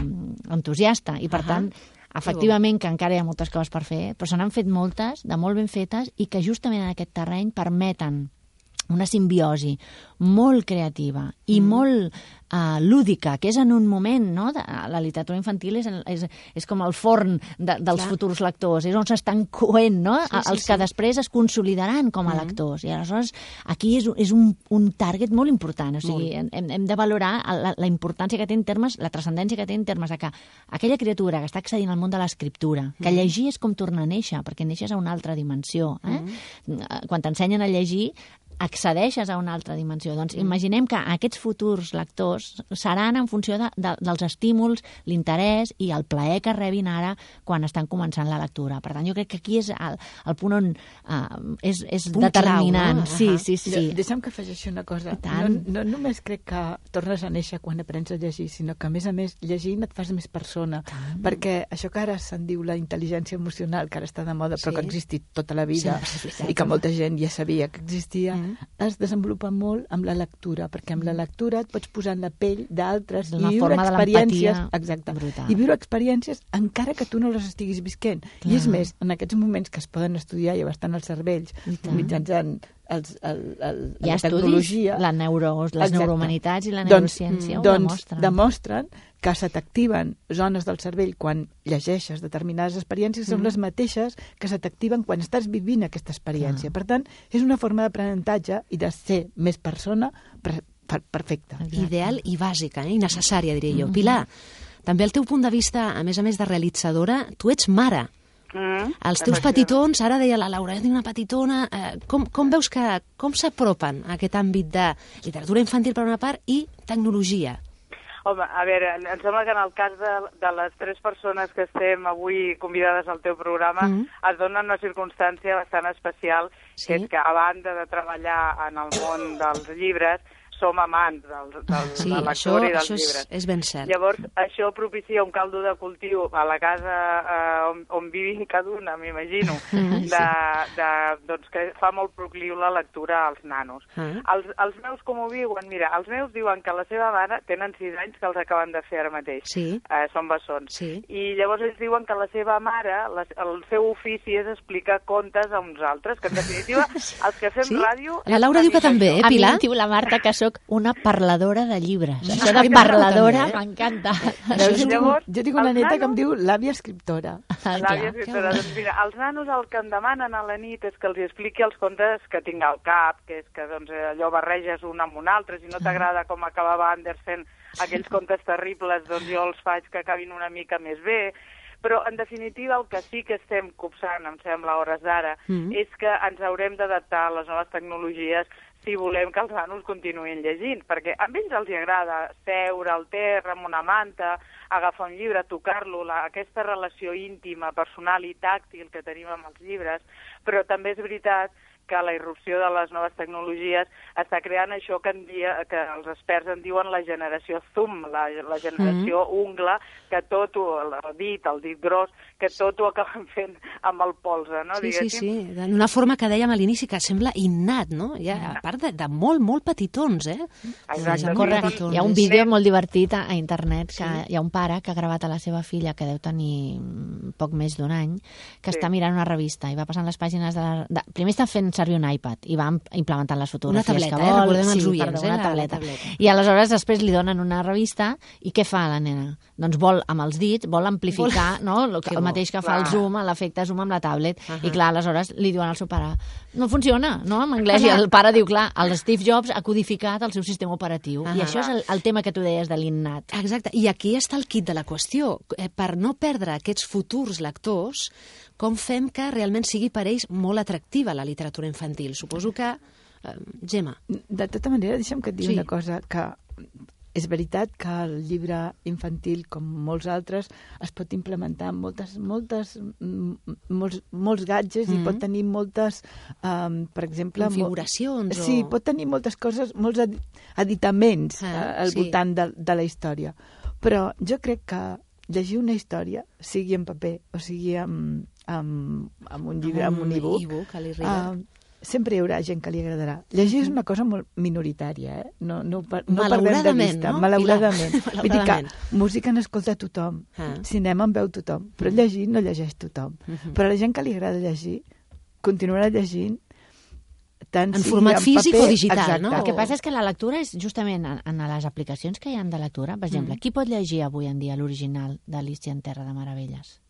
entusiasta i per uh-huh. tant efectivament que encara hi ha moltes coses per fer, però se n'han fet moltes, de molt ben fetes i que justament en aquest terreny permeten una simbiosi molt creativa i mm. molt uh, lúdica, que és en un moment, no? De, la literatura infantil és, és, és com el forn de, dels Clar. futurs lectors, és on s'estan coent, no? Sí, sí, els que sí. després es consolidaran com a mm. lectors. I aleshores aquí és, és un, un target molt important, o sigui, hem, hem de valorar la, la importància que té en termes, la transcendència que té en termes de que aquella criatura que està accedint al món de l'escriptura, que mm. llegir és com tornar a néixer, perquè neixes a una altra dimensió. Eh? Mm. Quan t'ensenyen a llegir, accedeixes a una altra dimensió. Doncs imaginem que aquests futurs lectors seran en funció de, de, dels estímuls, l'interès i el plaer que rebin ara quan estan començant la lectura. Per tant, jo crec que aquí és el, el punt on uh, és, és determinant. Clau, no? Sí, sí, sí. De, deixa'm que afegeixi una cosa. No, no només crec que tornes a néixer quan aprens a llegir, sinó que, a més a més, llegint et fas més persona. Tant. Perquè això que ara se'n diu la intel·ligència emocional, que ara està de moda, però sí. que ha existit tota la vida, sí, i que molta gent ja sabia que existia, mm. es desenvolupa molt amb la lectura, perquè amb la lectura et pots posar en la pell d'altres i viure experiències, exacte, brutal. I viure experiències encara que tu no les estiguis visquent. Clar. I és més, en aquests moments que es poden estudiar i bastant els cervells mitjançant els, el, el, la tecnologia, la neuro, les exacte. neuromanitats i la neurociència doncs, ho doncs demostren. demostren que se t'activen zones del cervell quan llegeixes determinades experiències, mm. són les mateixes que se t'activen quan estàs vivint aquesta experiència. Ah. Per tant, és una forma d'aprenentatge i de ser més persona per, per, perfecta. Ideal i bàsica, eh? I necessària, diria jo. Mm-hmm. Pilar, també el teu punt de vista, a més a més de realitzadora, tu ets mare. Mm, els teus petitons, ara deia la Laura, és una petitona, eh, com, com veus que, com s'apropen a aquest àmbit de literatura infantil per una part i tecnologia? Home, a veure, em sembla que en el cas de, de les tres persones que estem avui convidades al teu programa mm. es dona una circumstància bastant especial, sí? Que és que a banda de treballar en el món dels llibres, som amants del, del, sí, de la lectura i dels això llibres. És, és ben cert. Llavors, això propicia un caldo de cultiu a la casa eh, on, on vivim cada una, m'imagino, de, de, doncs, que fa molt procliu la lectura als nanos. Uh-huh. Els, els meus com ho viuen? Mira, els meus diuen que la seva mare tenen sis anys que els acaben de fer ara mateix. Sí. Eh, són bessons. Sí. I llavors ells diuen que la seva mare, la, el seu ofici és explicar contes a uns altres, que en definitiva els que fem sí? ràdio... La Laura diu que també, eh, Pilar? A mi diu la Marta que soc una parladora de llibres. Això de parladora m'encanta. Llavors, jo tinc una neta nanos... que em diu l'àvia escriptora. Ah, l'àvia escriptora. Doncs mira, els nanos el que em demanen a la nit és que els expliqui els contes que tinc al cap, que és que doncs, allò barreges un amb un altre, si no t'agrada com acabava Andersen aquells contes terribles, doncs jo els faig que acabin una mica més bé. Però, en definitiva, el que sí que estem copsant, em sembla, a hores d'ara, mm. és que ens haurem d'adaptar a les noves tecnologies si volem que els nanos continuïn llegint, perquè a ells els agrada seure al terra amb una manta, agafar un llibre, tocar-lo, aquesta relació íntima, personal i tàctil que tenim amb els llibres, però també és veritat que la irrupció de les noves tecnologies està creant això que, en dia, que els experts en diuen la generació zoom, la, la generació mm. ungla, que tot ho, el dit, el dit gros, que tot ho acaben fent amb el polze, no? Sí, diguéssim. sí, sí, d'una forma que dèiem a l'inici que sembla innat, no? Ja, a part de, de molt, molt petitons, eh? Exacte. Corre, hi ha un vídeo molt divertit a, a internet, que sí. Hi ha un pare que ha gravat a la seva filla, que deu tenir poc més d'un any, que sí. està mirant una revista i va passant les pàgines de la... De... Primer està fent servir un iPad i va implementant les fotografies una tableta, que vol. Eh? Recordem sí, els oients, perdó, eh? una La, tableta. la tableta. I aleshores després li donen una revista i què fa la nena? Doncs vol, amb els dits, vol amplificar vol... no? el, el mateix que fa el zoom, l'efecte zoom amb la tablet. Uh -huh. I clar, aleshores li diuen al seu pare no funciona, no? En anglès. I el pare diu, clar, el Steve Jobs ha codificat el seu sistema operatiu. Uh -huh. I això és el, el tema que tu deies de l'innat. Exacte. I aquí està el kit de la qüestió. Eh, per no perdre aquests futurs lectors, com fem que realment sigui per ells molt atractiva la literatura infantil? Suposo que... Eh, Gemma. De tota manera, deixa'm que et digui sí. una cosa, que és veritat que el llibre infantil, com molts altres, es pot implementar amb moltes, moltes, molts, molts gadgets mm -hmm. i pot tenir moltes, um, per exemple... configuracions. Mo sí, o... pot tenir moltes coses, molts editaments ah, al sí. voltant de, de la història. Però jo crec que llegir una història, sigui en paper o sigui en, en, en un llibre, en un e-book, e uh, sempre hi haurà gent que li agradarà. Llegir uh -huh. és una cosa molt minoritària, eh? No, no, no perdem de vista. No? Malauradament. Vull dir que música n'escolta tothom, ah. cinema en veu tothom, però llegir no llegeix tothom. Uh -huh. Però a la gent que li agrada llegir, continuarà llegint tant en format en físic paper, o digital, exacte. no? El que passa és que la lectura és justament en, en les aplicacions que hi ha de lectura. Per exemple, mm. qui pot llegir avui en dia l'original d'Alícia en Terra de Meravelles?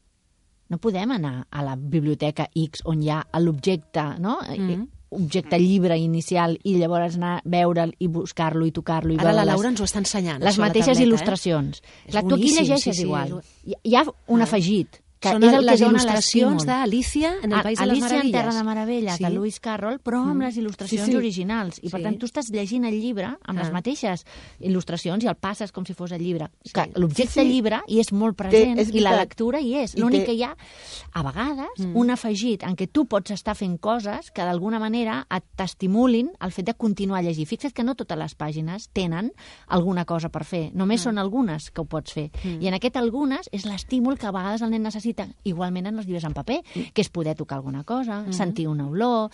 No podem anar a la biblioteca X on hi ha l'objecte, no? Mm. objecte llibre inicial i llavors anar a veure'l i buscar-lo i tocar-lo. Ara la Laura ens ho està ensenyant. Les mateixes tableta, il·lustracions. Eh? Clar, tu aquí llegeixes sí, sí, igual. És... Hi ha un ah. afegit. Que són és el les que il·lustracions d'Alícia en el País de les Alícia Meravelles. en Terra de Meravelles, sí. de Lewis Carroll, però amb les il·lustracions sí, sí. originals. I, per sí. tant, tu estàs llegint el llibre amb ah. les mateixes il·lustracions i el passes com si fos el llibre. Sí. L'objecte sí, sí. llibre hi és molt present té, és i la lectura hi és. L'únic té... que hi ha, a vegades, mm. un afegit en què tu pots estar fent coses que d'alguna manera t'estimulin el fet de continuar a llegir. Fixa't que no totes les pàgines tenen alguna cosa per fer. Només mm. són algunes que ho pots fer. Mm. I en aquest algunes és l'estímul que a vegades el nen necessita. Igualment els llibres en paper, que és poder tocar alguna cosa, mm-hmm. sentir una olor,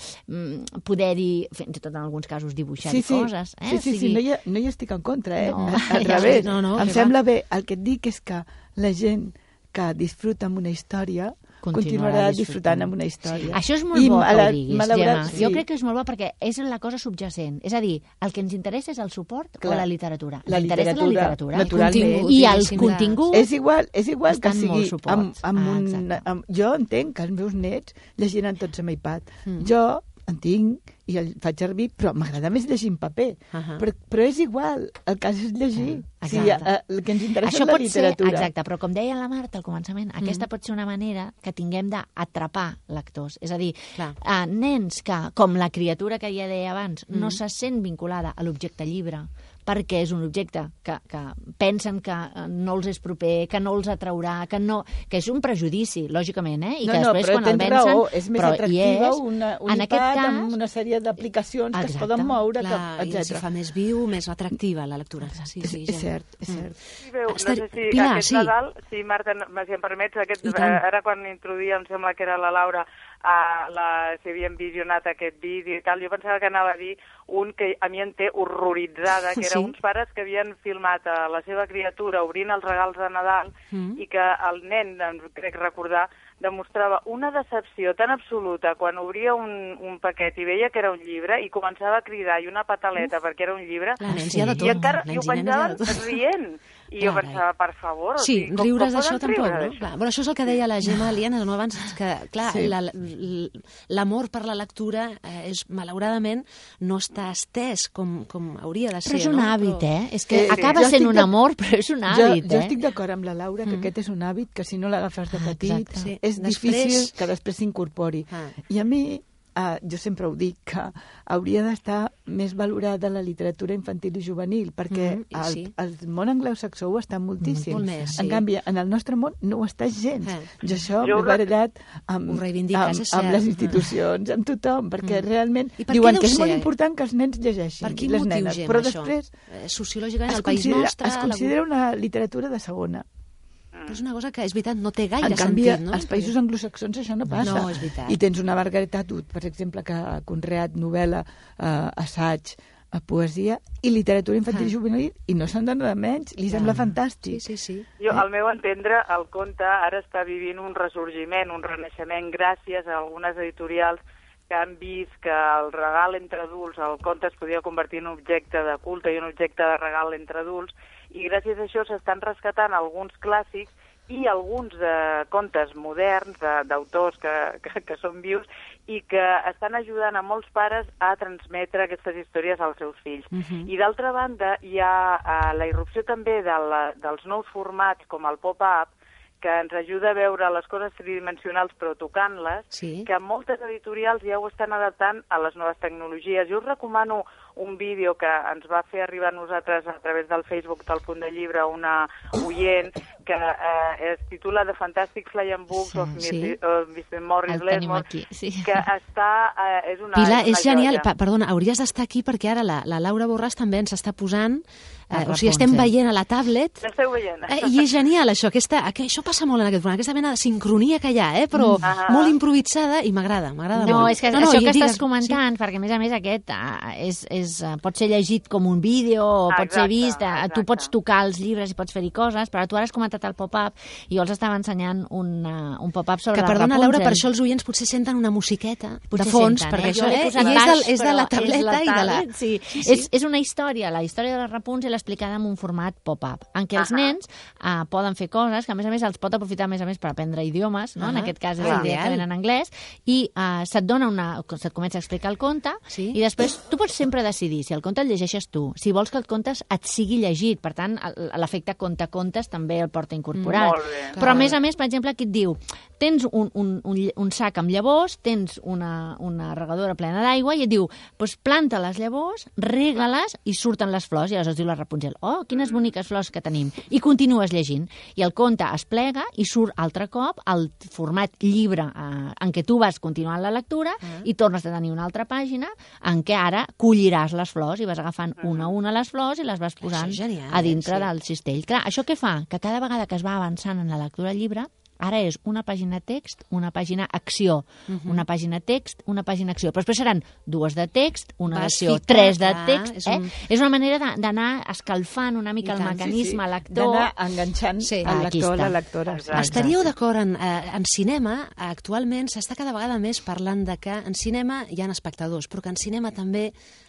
poder-hi, fins i tot en alguns casos, dibuixar-hi sí, sí. coses. Eh? Sí, sí, sí, no hi, ha, no hi estic en contra, eh? No. Al revés. No, no, em sembla va. bé. El que et dic és que la gent que disfruta amb una història continuarà disfrutant amb una història. Sí. Això és molt I bo que ho diguis, Gemma. Sí. Jo crec que és molt bo perquè és la cosa subjacent. És a dir, el que ens interessa és el suport Clar. o la literatura. La literatura, la literatura. Naturalment. I els continguts és igual, és igual que sigui amb, amb ah, un... Amb, jo entenc que els meus nets llegiran tots amb iPad. Mm. Jo en tinc i el faig servir, però m'agrada més llegir en paper. Uh -huh. però, però és igual, el cas és llegir. Uh, sí, el que ens interessa Això és la pot literatura. Ser, exacte, però com deia la Marta al començament, mm. aquesta pot ser una manera que tinguem d'atrapar lectors. És a dir, uh, nens que, com la criatura que ja deia abans, mm. no se sent vinculada a l'objecte llibre, perquè és un objecte que, que pensen que no els és proper, que no els atraurà, que, no, que és un prejudici, lògicament, eh? I no, que després, no, quan el vencen... Raó, és més atractiva és, una, un iPad cas, amb una sèrie d'aplicacions que es poden moure, Clar, etcètera. I si fa més viu, més atractiva la lectura. Sí, sí, és, és cert, és cert. Sí, veu, no sé si Pilar, aquest sí. Nadal, si Marta, si em permets, aquest, ara quan introduïa, em sembla que era la Laura, Uh, la, si havien visionat aquest vídeo i tal, jo pensava que anava a dir un que a mi em té horroritzada, que era sí. uns pares que havien filmat a la seva criatura obrint els regals de Nadal mm. i que el nen, crec recordar, demostrava una decepció tan absoluta quan obria un, un paquet i veia que era un llibre i començava a cridar i una pataleta Uf. perquè era un llibre sí. i, i encara i ho penjaven rient. I jo pensava, per favor... Sí, o sigui, riures d'això tampoc, no? Clar, bueno, això és el que deia la Gemma Aliana no, abans, que, clar, sí. l'amor la, per la lectura eh, és, malauradament, no està estès com, com hauria de ser, Però és un no? hàbit, però... eh? És que eh, acaba sent un amor, però és un hàbit, jo, jo eh? estic d'acord amb la Laura que mm. aquest és un hàbit que si no l'agafes de petit ah, és després... difícil que després s'incorpori. Ah. I a mi uh, jo sempre ho dic, que hauria d'estar més valorada la literatura infantil i juvenil, perquè mm, el, sí. el món anglosaxó ho està moltíssim. Molt més, sí. En canvi, en el nostre món no ho està gens. Eh. Jo això jo m'he barallat amb, amb, amb les institucions, amb tothom, perquè mm. realment per diuen que és ser? molt important que els nens llegeixin. Per quin les motiu, nenes, Gemma, però això? després Sociològicament, es el País considera, Nostre... es considera una literatura de segona. Però és una cosa que, és veritat, no té gaire en canvi, sentit, no? als països anglosaxons això no passa. No, és veritat. I tens una Margaret Atwood, per exemple, que ha conreat novel·la, eh, assaig, a poesia i literatura infantil ah. i juvenil, i no se'n dona de menys, li sembla ah. fantàstic. Sí, sí, sí. Jo, al meu entendre, el conte ara està vivint un ressorgiment, un renaixement gràcies a algunes editorials que han vist que el regal entre adults, el conte es podia convertir en un objecte de culte i un objecte de regal entre adults, i gràcies a això s'estan rescatant alguns clàssics i alguns eh, contes moderns d'autors que, que, que són vius i que estan ajudant a molts pares a transmetre aquestes històries als seus fills. Uh-huh. I d'altra banda, hi ha eh, la irrupció també de la, dels nous formats com el pop-up, que ens ajuda a veure les coses tridimensionals però tocant-les, sí. que moltes editorials ja ho estan adaptant a les noves tecnologies. Jo us recomano un vídeo que ens va fer arribar a nosaltres a través del Facebook del Punt de Llibre una oient que eh, es titula The Fantastic Flying Books sí, of mister Morris Lesmore, sí. que està... Eh, és una, Pilar, és, una és genial. Pa, perdona, hauries d'estar aquí perquè ara la, la Laura Borràs també ens està posant... Eh, o sigui, estem veient a la tablet... L'esteu veient. Eh, I és genial, això. Aquesta, això passa molt en aquest programa, aquesta mena de sincronia que hi ha, eh, però uh -huh. molt improvisada i m'agrada, m'agrada no, molt. És que no, no, això que digues, estàs comentant, sí. perquè a més a més aquest uh, és, és, uh, pot ser llegit com un vídeo o exacte, pot ser vist, uh, tu pots tocar els llibres i pots fer-hi coses, però tu ara has comentat el pop-up i jo els estava ensenyant un, uh, un pop-up sobre que, la perdona, Rapunzel. Laura, per això els oients potser senten una musiqueta potser de fons, senten, perquè eh? això eh? és, és, baix, de, és de la tableta la i de la... Sí. Sí, sí. És, és una història, la història de la Rapunzel explicada en un format pop-up, en què els nens uh, poden fer coses, que a més a més els pot aprofitar a més a més per aprendre idiomes, no? Uh -huh. En aquest cas és ah, directament en anglès, i uh, se't dona una... se't comença a explicar el conte, sí. i després tu pots sempre decidir si el conte el llegeixes tu, si vols que el conte et sigui llegit, per tant, l'efecte conte-contes també el porta incorporat. Mm, però a més a més, per exemple, aquí et diu tens un, un, un, un sac amb llavors, tens una, una regadora plena d'aigua, i et diu, doncs planta les llavors, rega-les i surten les flors, i aleshores diu la Rapunzel, oh, quines boniques flors que tenim, i continues llegint. I el conte es plega i surt altre cop al format llibre eh, en què tu vas continuant la lectura uh-huh. i tornes a tenir una altra pàgina en què ara colliràs les flors i vas agafant uh-huh. una a una les flors i les vas posant genial, a dintre sí. del cistell. Clar, això què fa? Que cada vegada que es va avançant en la lectura del llibre, ara és una pàgina text, una pàgina acció, uh-huh. una pàgina text, una pàgina acció. Però després seran dues de text, una d'acció, tres de text. És, un... eh? és una manera d'anar escalfant una mica el mecanisme sí, sí. lector. D'anar enganxant sí. el lector, la lectora. Exacte. Estaríeu d'acord en, eh, en cinema, actualment s'està cada vegada més parlant de que en cinema hi ha espectadors, però que en cinema també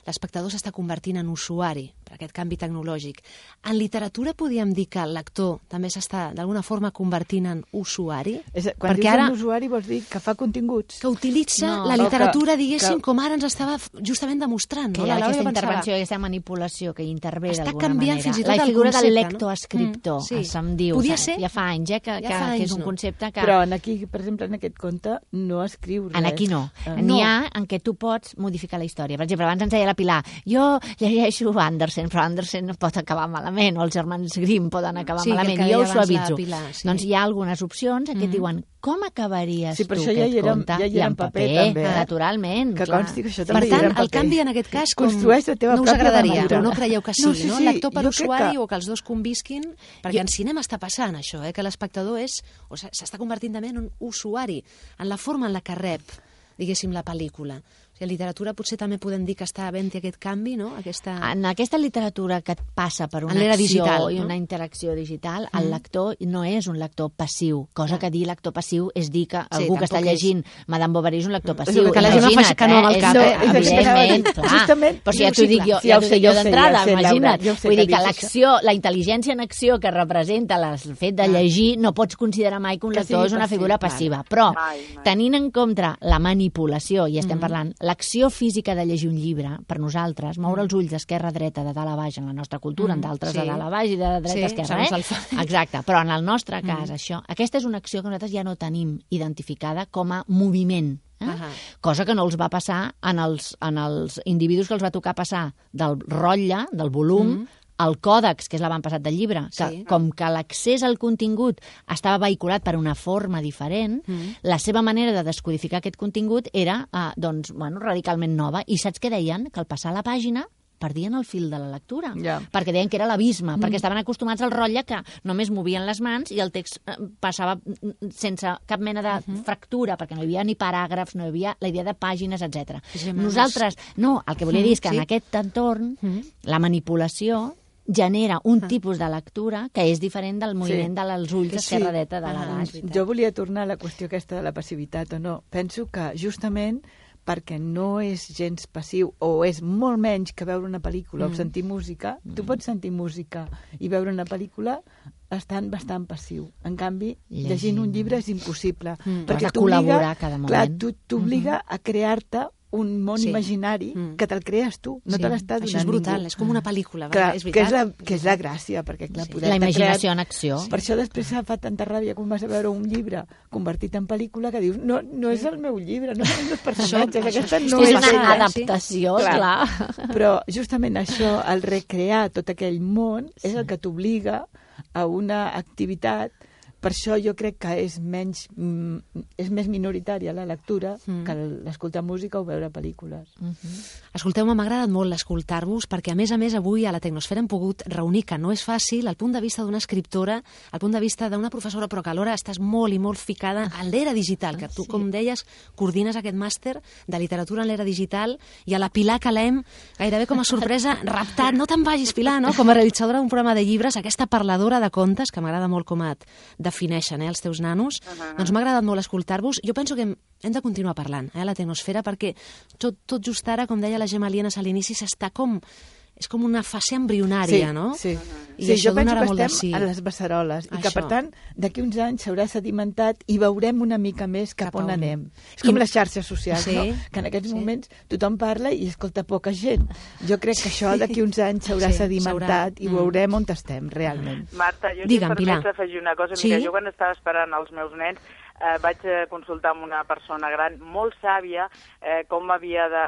l'espectador s'està convertint en usuari per aquest canvi tecnològic. En literatura podríem dir que el lector també s'està d'alguna forma convertint en usuari? És, quan perquè dius ara, en usuari vols dir que fa continguts? Que utilitza no, la literatura, que, diguéssim, que, com ara ens estava justament demostrant. Que no? hi ha la aquesta intervenció, aquesta manipulació que hi intervé d'alguna manera. Està canviant fins i tot la el figura concepte, del lector-escriptor, no? mm, sí. se'm diu. Podia saps? ser? Ja fa anys, eh, que, ja que, fa anys, que és un no. concepte que... Però en aquí, per exemple, en aquest conte, no escriu res. En aquí no. Uh, N'hi no. ha en què tu pots modificar la història. Per exemple, abans ens deia la Pilar, jo llegeixo Andersen, però Andersen pot acabar malament, o els germans Grimm poden acabar sí, malament, i jo ho suavitzo. Pilar, sí. Doncs hi ha algunes opcions que mm. et diuen com acabaries sí, tu això aquest ja era, conte? ja I en paper, paper també, eh? Naturalment. Que clar. consti que això per també tant, era en paper. el canvi en aquest cas com construeix la teva no us agradaria, però no creieu que sigui, no? no, sí, no? sí, Lector per usuari que... o que els dos convisquin, perquè jo... en cinema està passant això, eh? Que l'espectador és, o s'està convertint també en un usuari, en la forma en la que rep, diguéssim, la pel·lícula. En literatura potser també podem dir que està havent aquest canvi, no? Aquesta... En aquesta literatura que et passa per una acció digital, i no? una interacció digital, el mm. lector no és un lector passiu, cosa ah. que dir lector passiu és dir que sí, algú que està llegint és... Madame Bovary és un lector passiu. Que la gent faci que no amb el cap, eh? eh? Evidentment, clar. Justament, però si ja t'ho dic jo, ja, ja, sé, jo d'entrada, ja imagina't. Ja Vull dir que l'acció, la intel·ligència en acció que representa el fet de llegir, no pots considerar mai que un lector és una figura passiva. Però, tenint en compte la manipulació, i estem parlant l'acció física de llegir un llibre, per nosaltres, moure els ulls d'esquerra a dreta, de dalt a baix, en la nostra cultura, en d'altres de dalt a baix i de dreta a esquerra, eh? Exacte, però en el nostre cas, això, aquesta és una acció que nosaltres ja no tenim identificada com a moviment. Eh? Uh -huh. Cosa que no els va passar en els, en els individus que els va tocar passar del rotlle, del volum, uh -huh. al còdex, que és l'avantpassat del llibre, que sí. com que l'accés al contingut estava vehiculat per una forma diferent, mm. la seva manera de descodificar aquest contingut era eh, doncs, bueno, radicalment nova. I saps què deien? Que al passar la pàgina perdien el fil de la lectura, yeah. perquè deien que era l'abisme, mm. perquè estaven acostumats al rotlle que només movien les mans i el text passava sense cap mena de mm-hmm. fractura, perquè no hi havia ni paràgrafs, no hi havia la idea de pàgines, etcètera. Sí, Nosaltres, no, el que volia dir és que sí. en aquest entorn mm. la manipulació genera un ah. tipus de lectura que és diferent del moviment sí. dels ulls d'esquerra-dreta sí. de la baix. Jo volia tornar a la qüestió aquesta de la passivitat o no. Penso que justament perquè no és gens passiu o és molt menys que veure una pel·lícula mm. o sentir música, mm. tu pots sentir música i veure una pel·lícula estan bastant passiu. En canvi, llegint, llegint un llibre és impossible. Mm. Perquè has de col·laborar cada moment. Clar, t'obliga mm-hmm. a crear-te un món sí. imaginari mm. que te'l crees tu, no sí. te l'està donant ningú. Això és brutal, ningú. És com una pel·lícula, clar, és que és, la, que és la gràcia, perquè clar, sí. poder la imaginació creat... en acció. Per això després fa tanta ràbia quan vas a veure un llibre convertit en pel·lícula que dius, no, no és el meu llibre, no són els personatges, aquesta no és, és una ella. adaptació, sí? clar. clar. Però justament això, el recrear tot aquell món, sí. és el que t'obliga a una activitat. Per això jo crec que és menys mm, és més minoritària la lectura mm. que l'escoltar música o veure pel·lícules. Mm-hmm. Escolteu-me, m'ha agradat molt escoltar-vos perquè, a més a més, avui a la Tecnosfera hem pogut reunir, que no és fàcil, el punt de vista d'una escriptora, el punt de vista d'una professora, però que alhora estàs molt i molt ficada en l'era digital, que tu, sí. com deies, coordines aquest màster de literatura en l'era digital, i a la Pilar Calem, gairebé com a sorpresa, raptat, no te'n vagis, Pilar, no? Com a realitzadora d'un programa de llibres, aquesta parladora de contes, que m'agrada molt com et defineixen, eh, els teus nanos, uh-huh. doncs m'ha agradat molt escoltar-vos. Jo penso que hem, hem de continuar parlant eh, a la Tecnosfera, perquè tot, tot just ara, com deia la Gemma Lienas a l'inici, s'està com... és com una fase embrionària, sí, no? Sí, I sí. això Jo penso donarà que molt de estem sí. a les beceroles i que, això. per tant, d'aquí uns anys s'haurà sedimentat i veurem una mica més cap, cap on anem. És com I... les xarxes socials, sí. no? Que en aquests sí. moments tothom parla i escolta poca gent. Jo crec que això d'aquí uns anys s'haurà sí, sedimentat i veurem on estem, realment. Marta, jo Digue'm, si permets afegir una cosa. Sí? Mira, jo quan estava esperant els meus nens Eh, vaig consultar amb una persona gran molt sàvia eh, com havia de,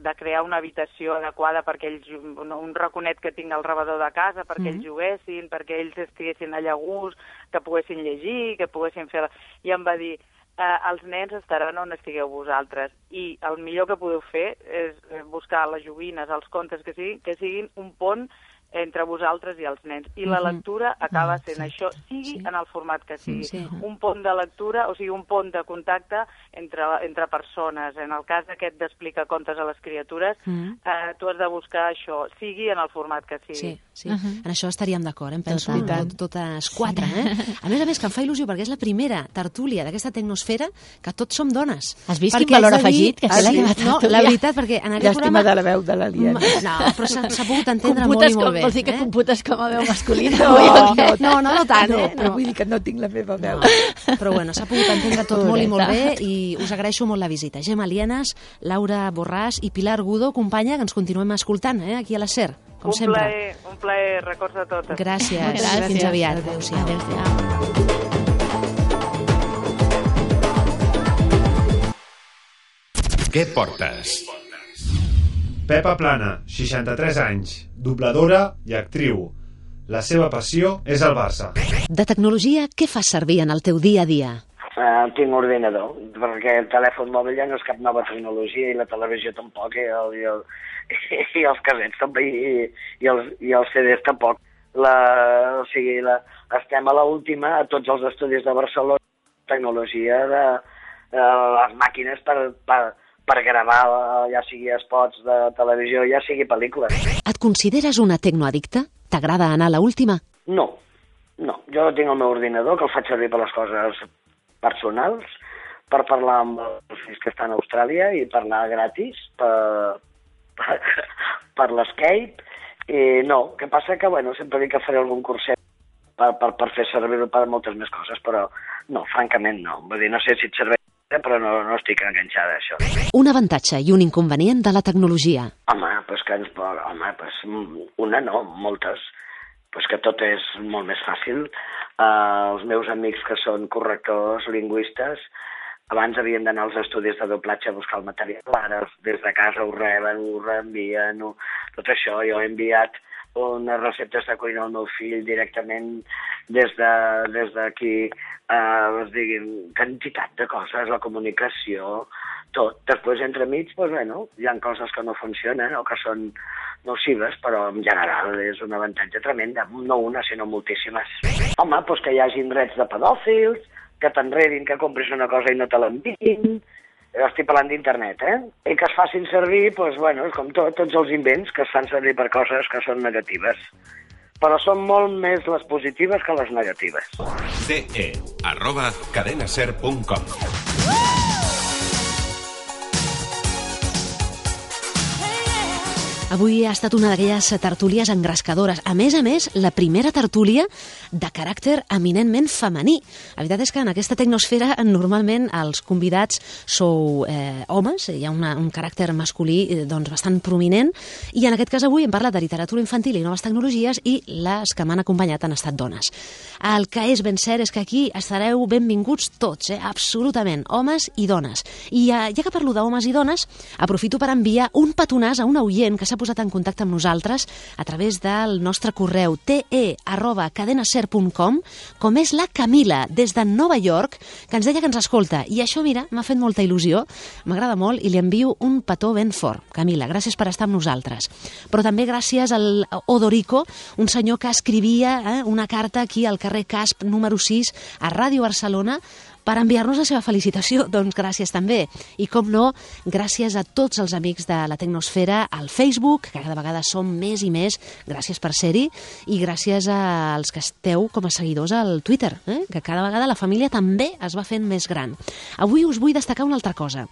de crear una habitació adequada perquè ells, un, un raconet que tinc al rebedor de casa, perquè mm-hmm. ells juguessin, perquè ells estiguessin allà a gust, que poguessin llegir, que poguessin fer... La... I em va dir, eh, els nens estaran on estigueu vosaltres i el millor que podeu fer és buscar les joguines, els contes, que siguin, que siguin un pont entre vosaltres i els nens. I la lectura acaba sent sí, això, sigui sí. en el format que sigui. Sí. Un pont de lectura, o sigui, un pont de contacte entre, entre persones. En el cas aquest d'explicar contes a les criatures, mm. eh, tu has de buscar això, sigui en el format que sigui. Sí, sí. Uh -huh. En això estaríem d'acord, em penso, tot, totes quatre. Eh? A més a més, que em fa il·lusió, perquè és la primera tertúlia d'aquesta Tecnosfera que tots som dones. Has vist perquè quin valor afegit? Que ah, sí? No, la veritat, perquè en aquest Llàstima programa... de la veu de l'Aliena. No, però s'ha pogut entendre molt i molt bé. Vols dir que eh? computes com a veu masculina? No, no, no, no, no tant, eh? No, però vull dir que no tinc la meva veu. No. Però bueno, s'ha pogut entendre tot molt i molt bé i us agraeixo molt la visita. Gemma Lienas, Laura Borràs i Pilar Gudo, companya, que ens continuem escoltant, eh? Aquí a la SER, com un sempre. Plaer, un plaer, records a totes. Gràcies. Gràcies. Fins aviat. Adéu-siau. Adéu-siau. Què portes? Pepa Plana, seixanta-tres anys, dobladora i actriu. La seva passió és el Barça. De tecnologia, què fas servir en el teu dia a dia? Uh, tinc ordinador, perquè el telèfon mòbil ja no és cap nova tecnologia i la televisió tampoc, i, el, i, el, i els casets també, i, i, els, i els C Ds tampoc. La, o sigui, la, estem a l'última a tots els estudis de Barcelona, tecnologia de uh, les màquines per... per per gravar, ja sigui spots de televisió, ja sigui pel·lícules. Et consideres una tecnoaddicta? T'agrada anar a l'última? No, no. Jo tinc el meu ordinador, que el faig servir per les coses personals, per parlar amb els fills que estan a Austràlia i parlar gratis per, per, per l'Skype. I no, que passa que, bueno, sempre dic que faré algun curset per, per, per fer servir-ho per moltes més coses, però no, francament no. Vull dir, no sé si et serveix però no, no estic enganxada a això. Un avantatge i un inconvenient de la tecnologia. Home, doncs que ens... Home, doncs una no, moltes. Pues que tot és molt més fàcil. Uh, els meus amics que són correctors, lingüistes, abans havien d'anar als estudis de doblatge a buscar el material, ara des de casa ho reben, ho reenvien, ho... tot això. Jo he enviat unes receptes de cuina al meu fill directament des d'aquí, de, uh, es diguin, quantitat de coses, la comunicació, tot. Després, entremig, doncs, bueno, hi ha coses que no funcionen o que són nocives, però en general és un avantatge tremenda, no una, sinó moltíssimes. Home, doncs que hi hagi drets de pedòfils, que t'enredin, que compris una cosa i no te l'enviïn, estic parlant d'internet, eh? I que es facin servir, doncs, bueno, és com tot, tots els invents que es fan servir per coses que són negatives. Però són molt més les positives que les negatives. ce e arroba cadenaser punt com Avui ha estat una d'aquelles tertúlies engrescadores. A més a més, la primera tertúlia de caràcter eminentment femení. La veritat és que en aquesta tecnosfera normalment els convidats sou eh, homes, hi ha una, un caràcter masculí eh, doncs, bastant prominent, i en aquest cas avui hem parlat de literatura infantil i noves tecnologies, i les que m'han acompanyat han estat dones. El que és ben cert és que aquí estareu benvinguts tots, eh, absolutament, homes i dones. I ja, ja que parlo d'homes i dones, aprofito per enviar un petonàs a un oient que s'ha posat en contacte amb nosaltres a través del nostre correu te arroba cadenaser punt com, com és la Camila, des de Nova York, que ens deia que ens escolta. I això, mira, m'ha fet molta il·lusió, m'agrada molt, i li envio un petó ben fort. Camila, gràcies per estar amb nosaltres. Però també gràcies al Odorico, un senyor que escrivia eh, una carta aquí al carrer Casp número sis a Ràdio Barcelona per enviar-nos la seva felicitació. Doncs gràcies també. I com no, gràcies a tots els amics de la Tecnosfera al Facebook, que cada vegada som més i més, gràcies per ser-hi, i gràcies als que esteu com a seguidors al Twitter, eh? que cada vegada la família també es va fent més gran. Avui us vull destacar una altra cosa.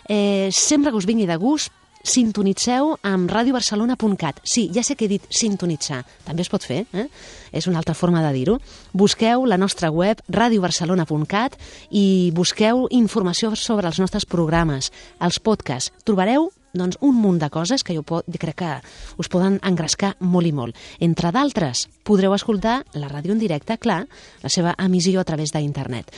Eh, sempre que us vingui de gust, sintonitzeu amb radio barcelona punt cat. Sí, ja sé que he dit sintonitzar, també es pot fer, eh? És una altra forma de dir-ho. Busqueu la nostra web radio barcelona punt cat i busqueu informació sobre els nostres programes, els podcasts. Trobareu doncs, un munt de coses que jo pot, crec que us poden engrescar molt i molt. Entre d'altres, podreu escoltar la ràdio en directe, clar, la seva emissió a través d'internet.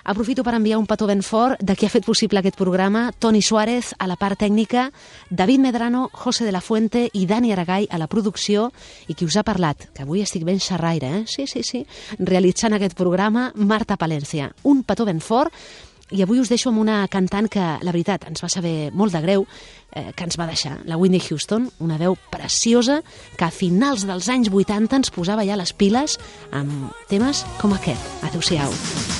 Aprofito per enviar un petó ben fort de qui ha fet possible aquest programa: Toni Suárez a la part tècnica, David Medrano, José de la Fuente i Dani Aragall a la producció, i qui us ha parlat, que avui estic ben xerraire, eh? sí, sí, sí, realitzant aquest programa, Marta Palencia. Un petó ben fort, i avui us deixo amb una cantant que, la veritat, ens va saber molt de greu eh, que ens va deixar, la Whitney Houston, una veu preciosa que a finals dels anys vuitanta ens posava ja les piles amb temes com aquest. Adéu-siau.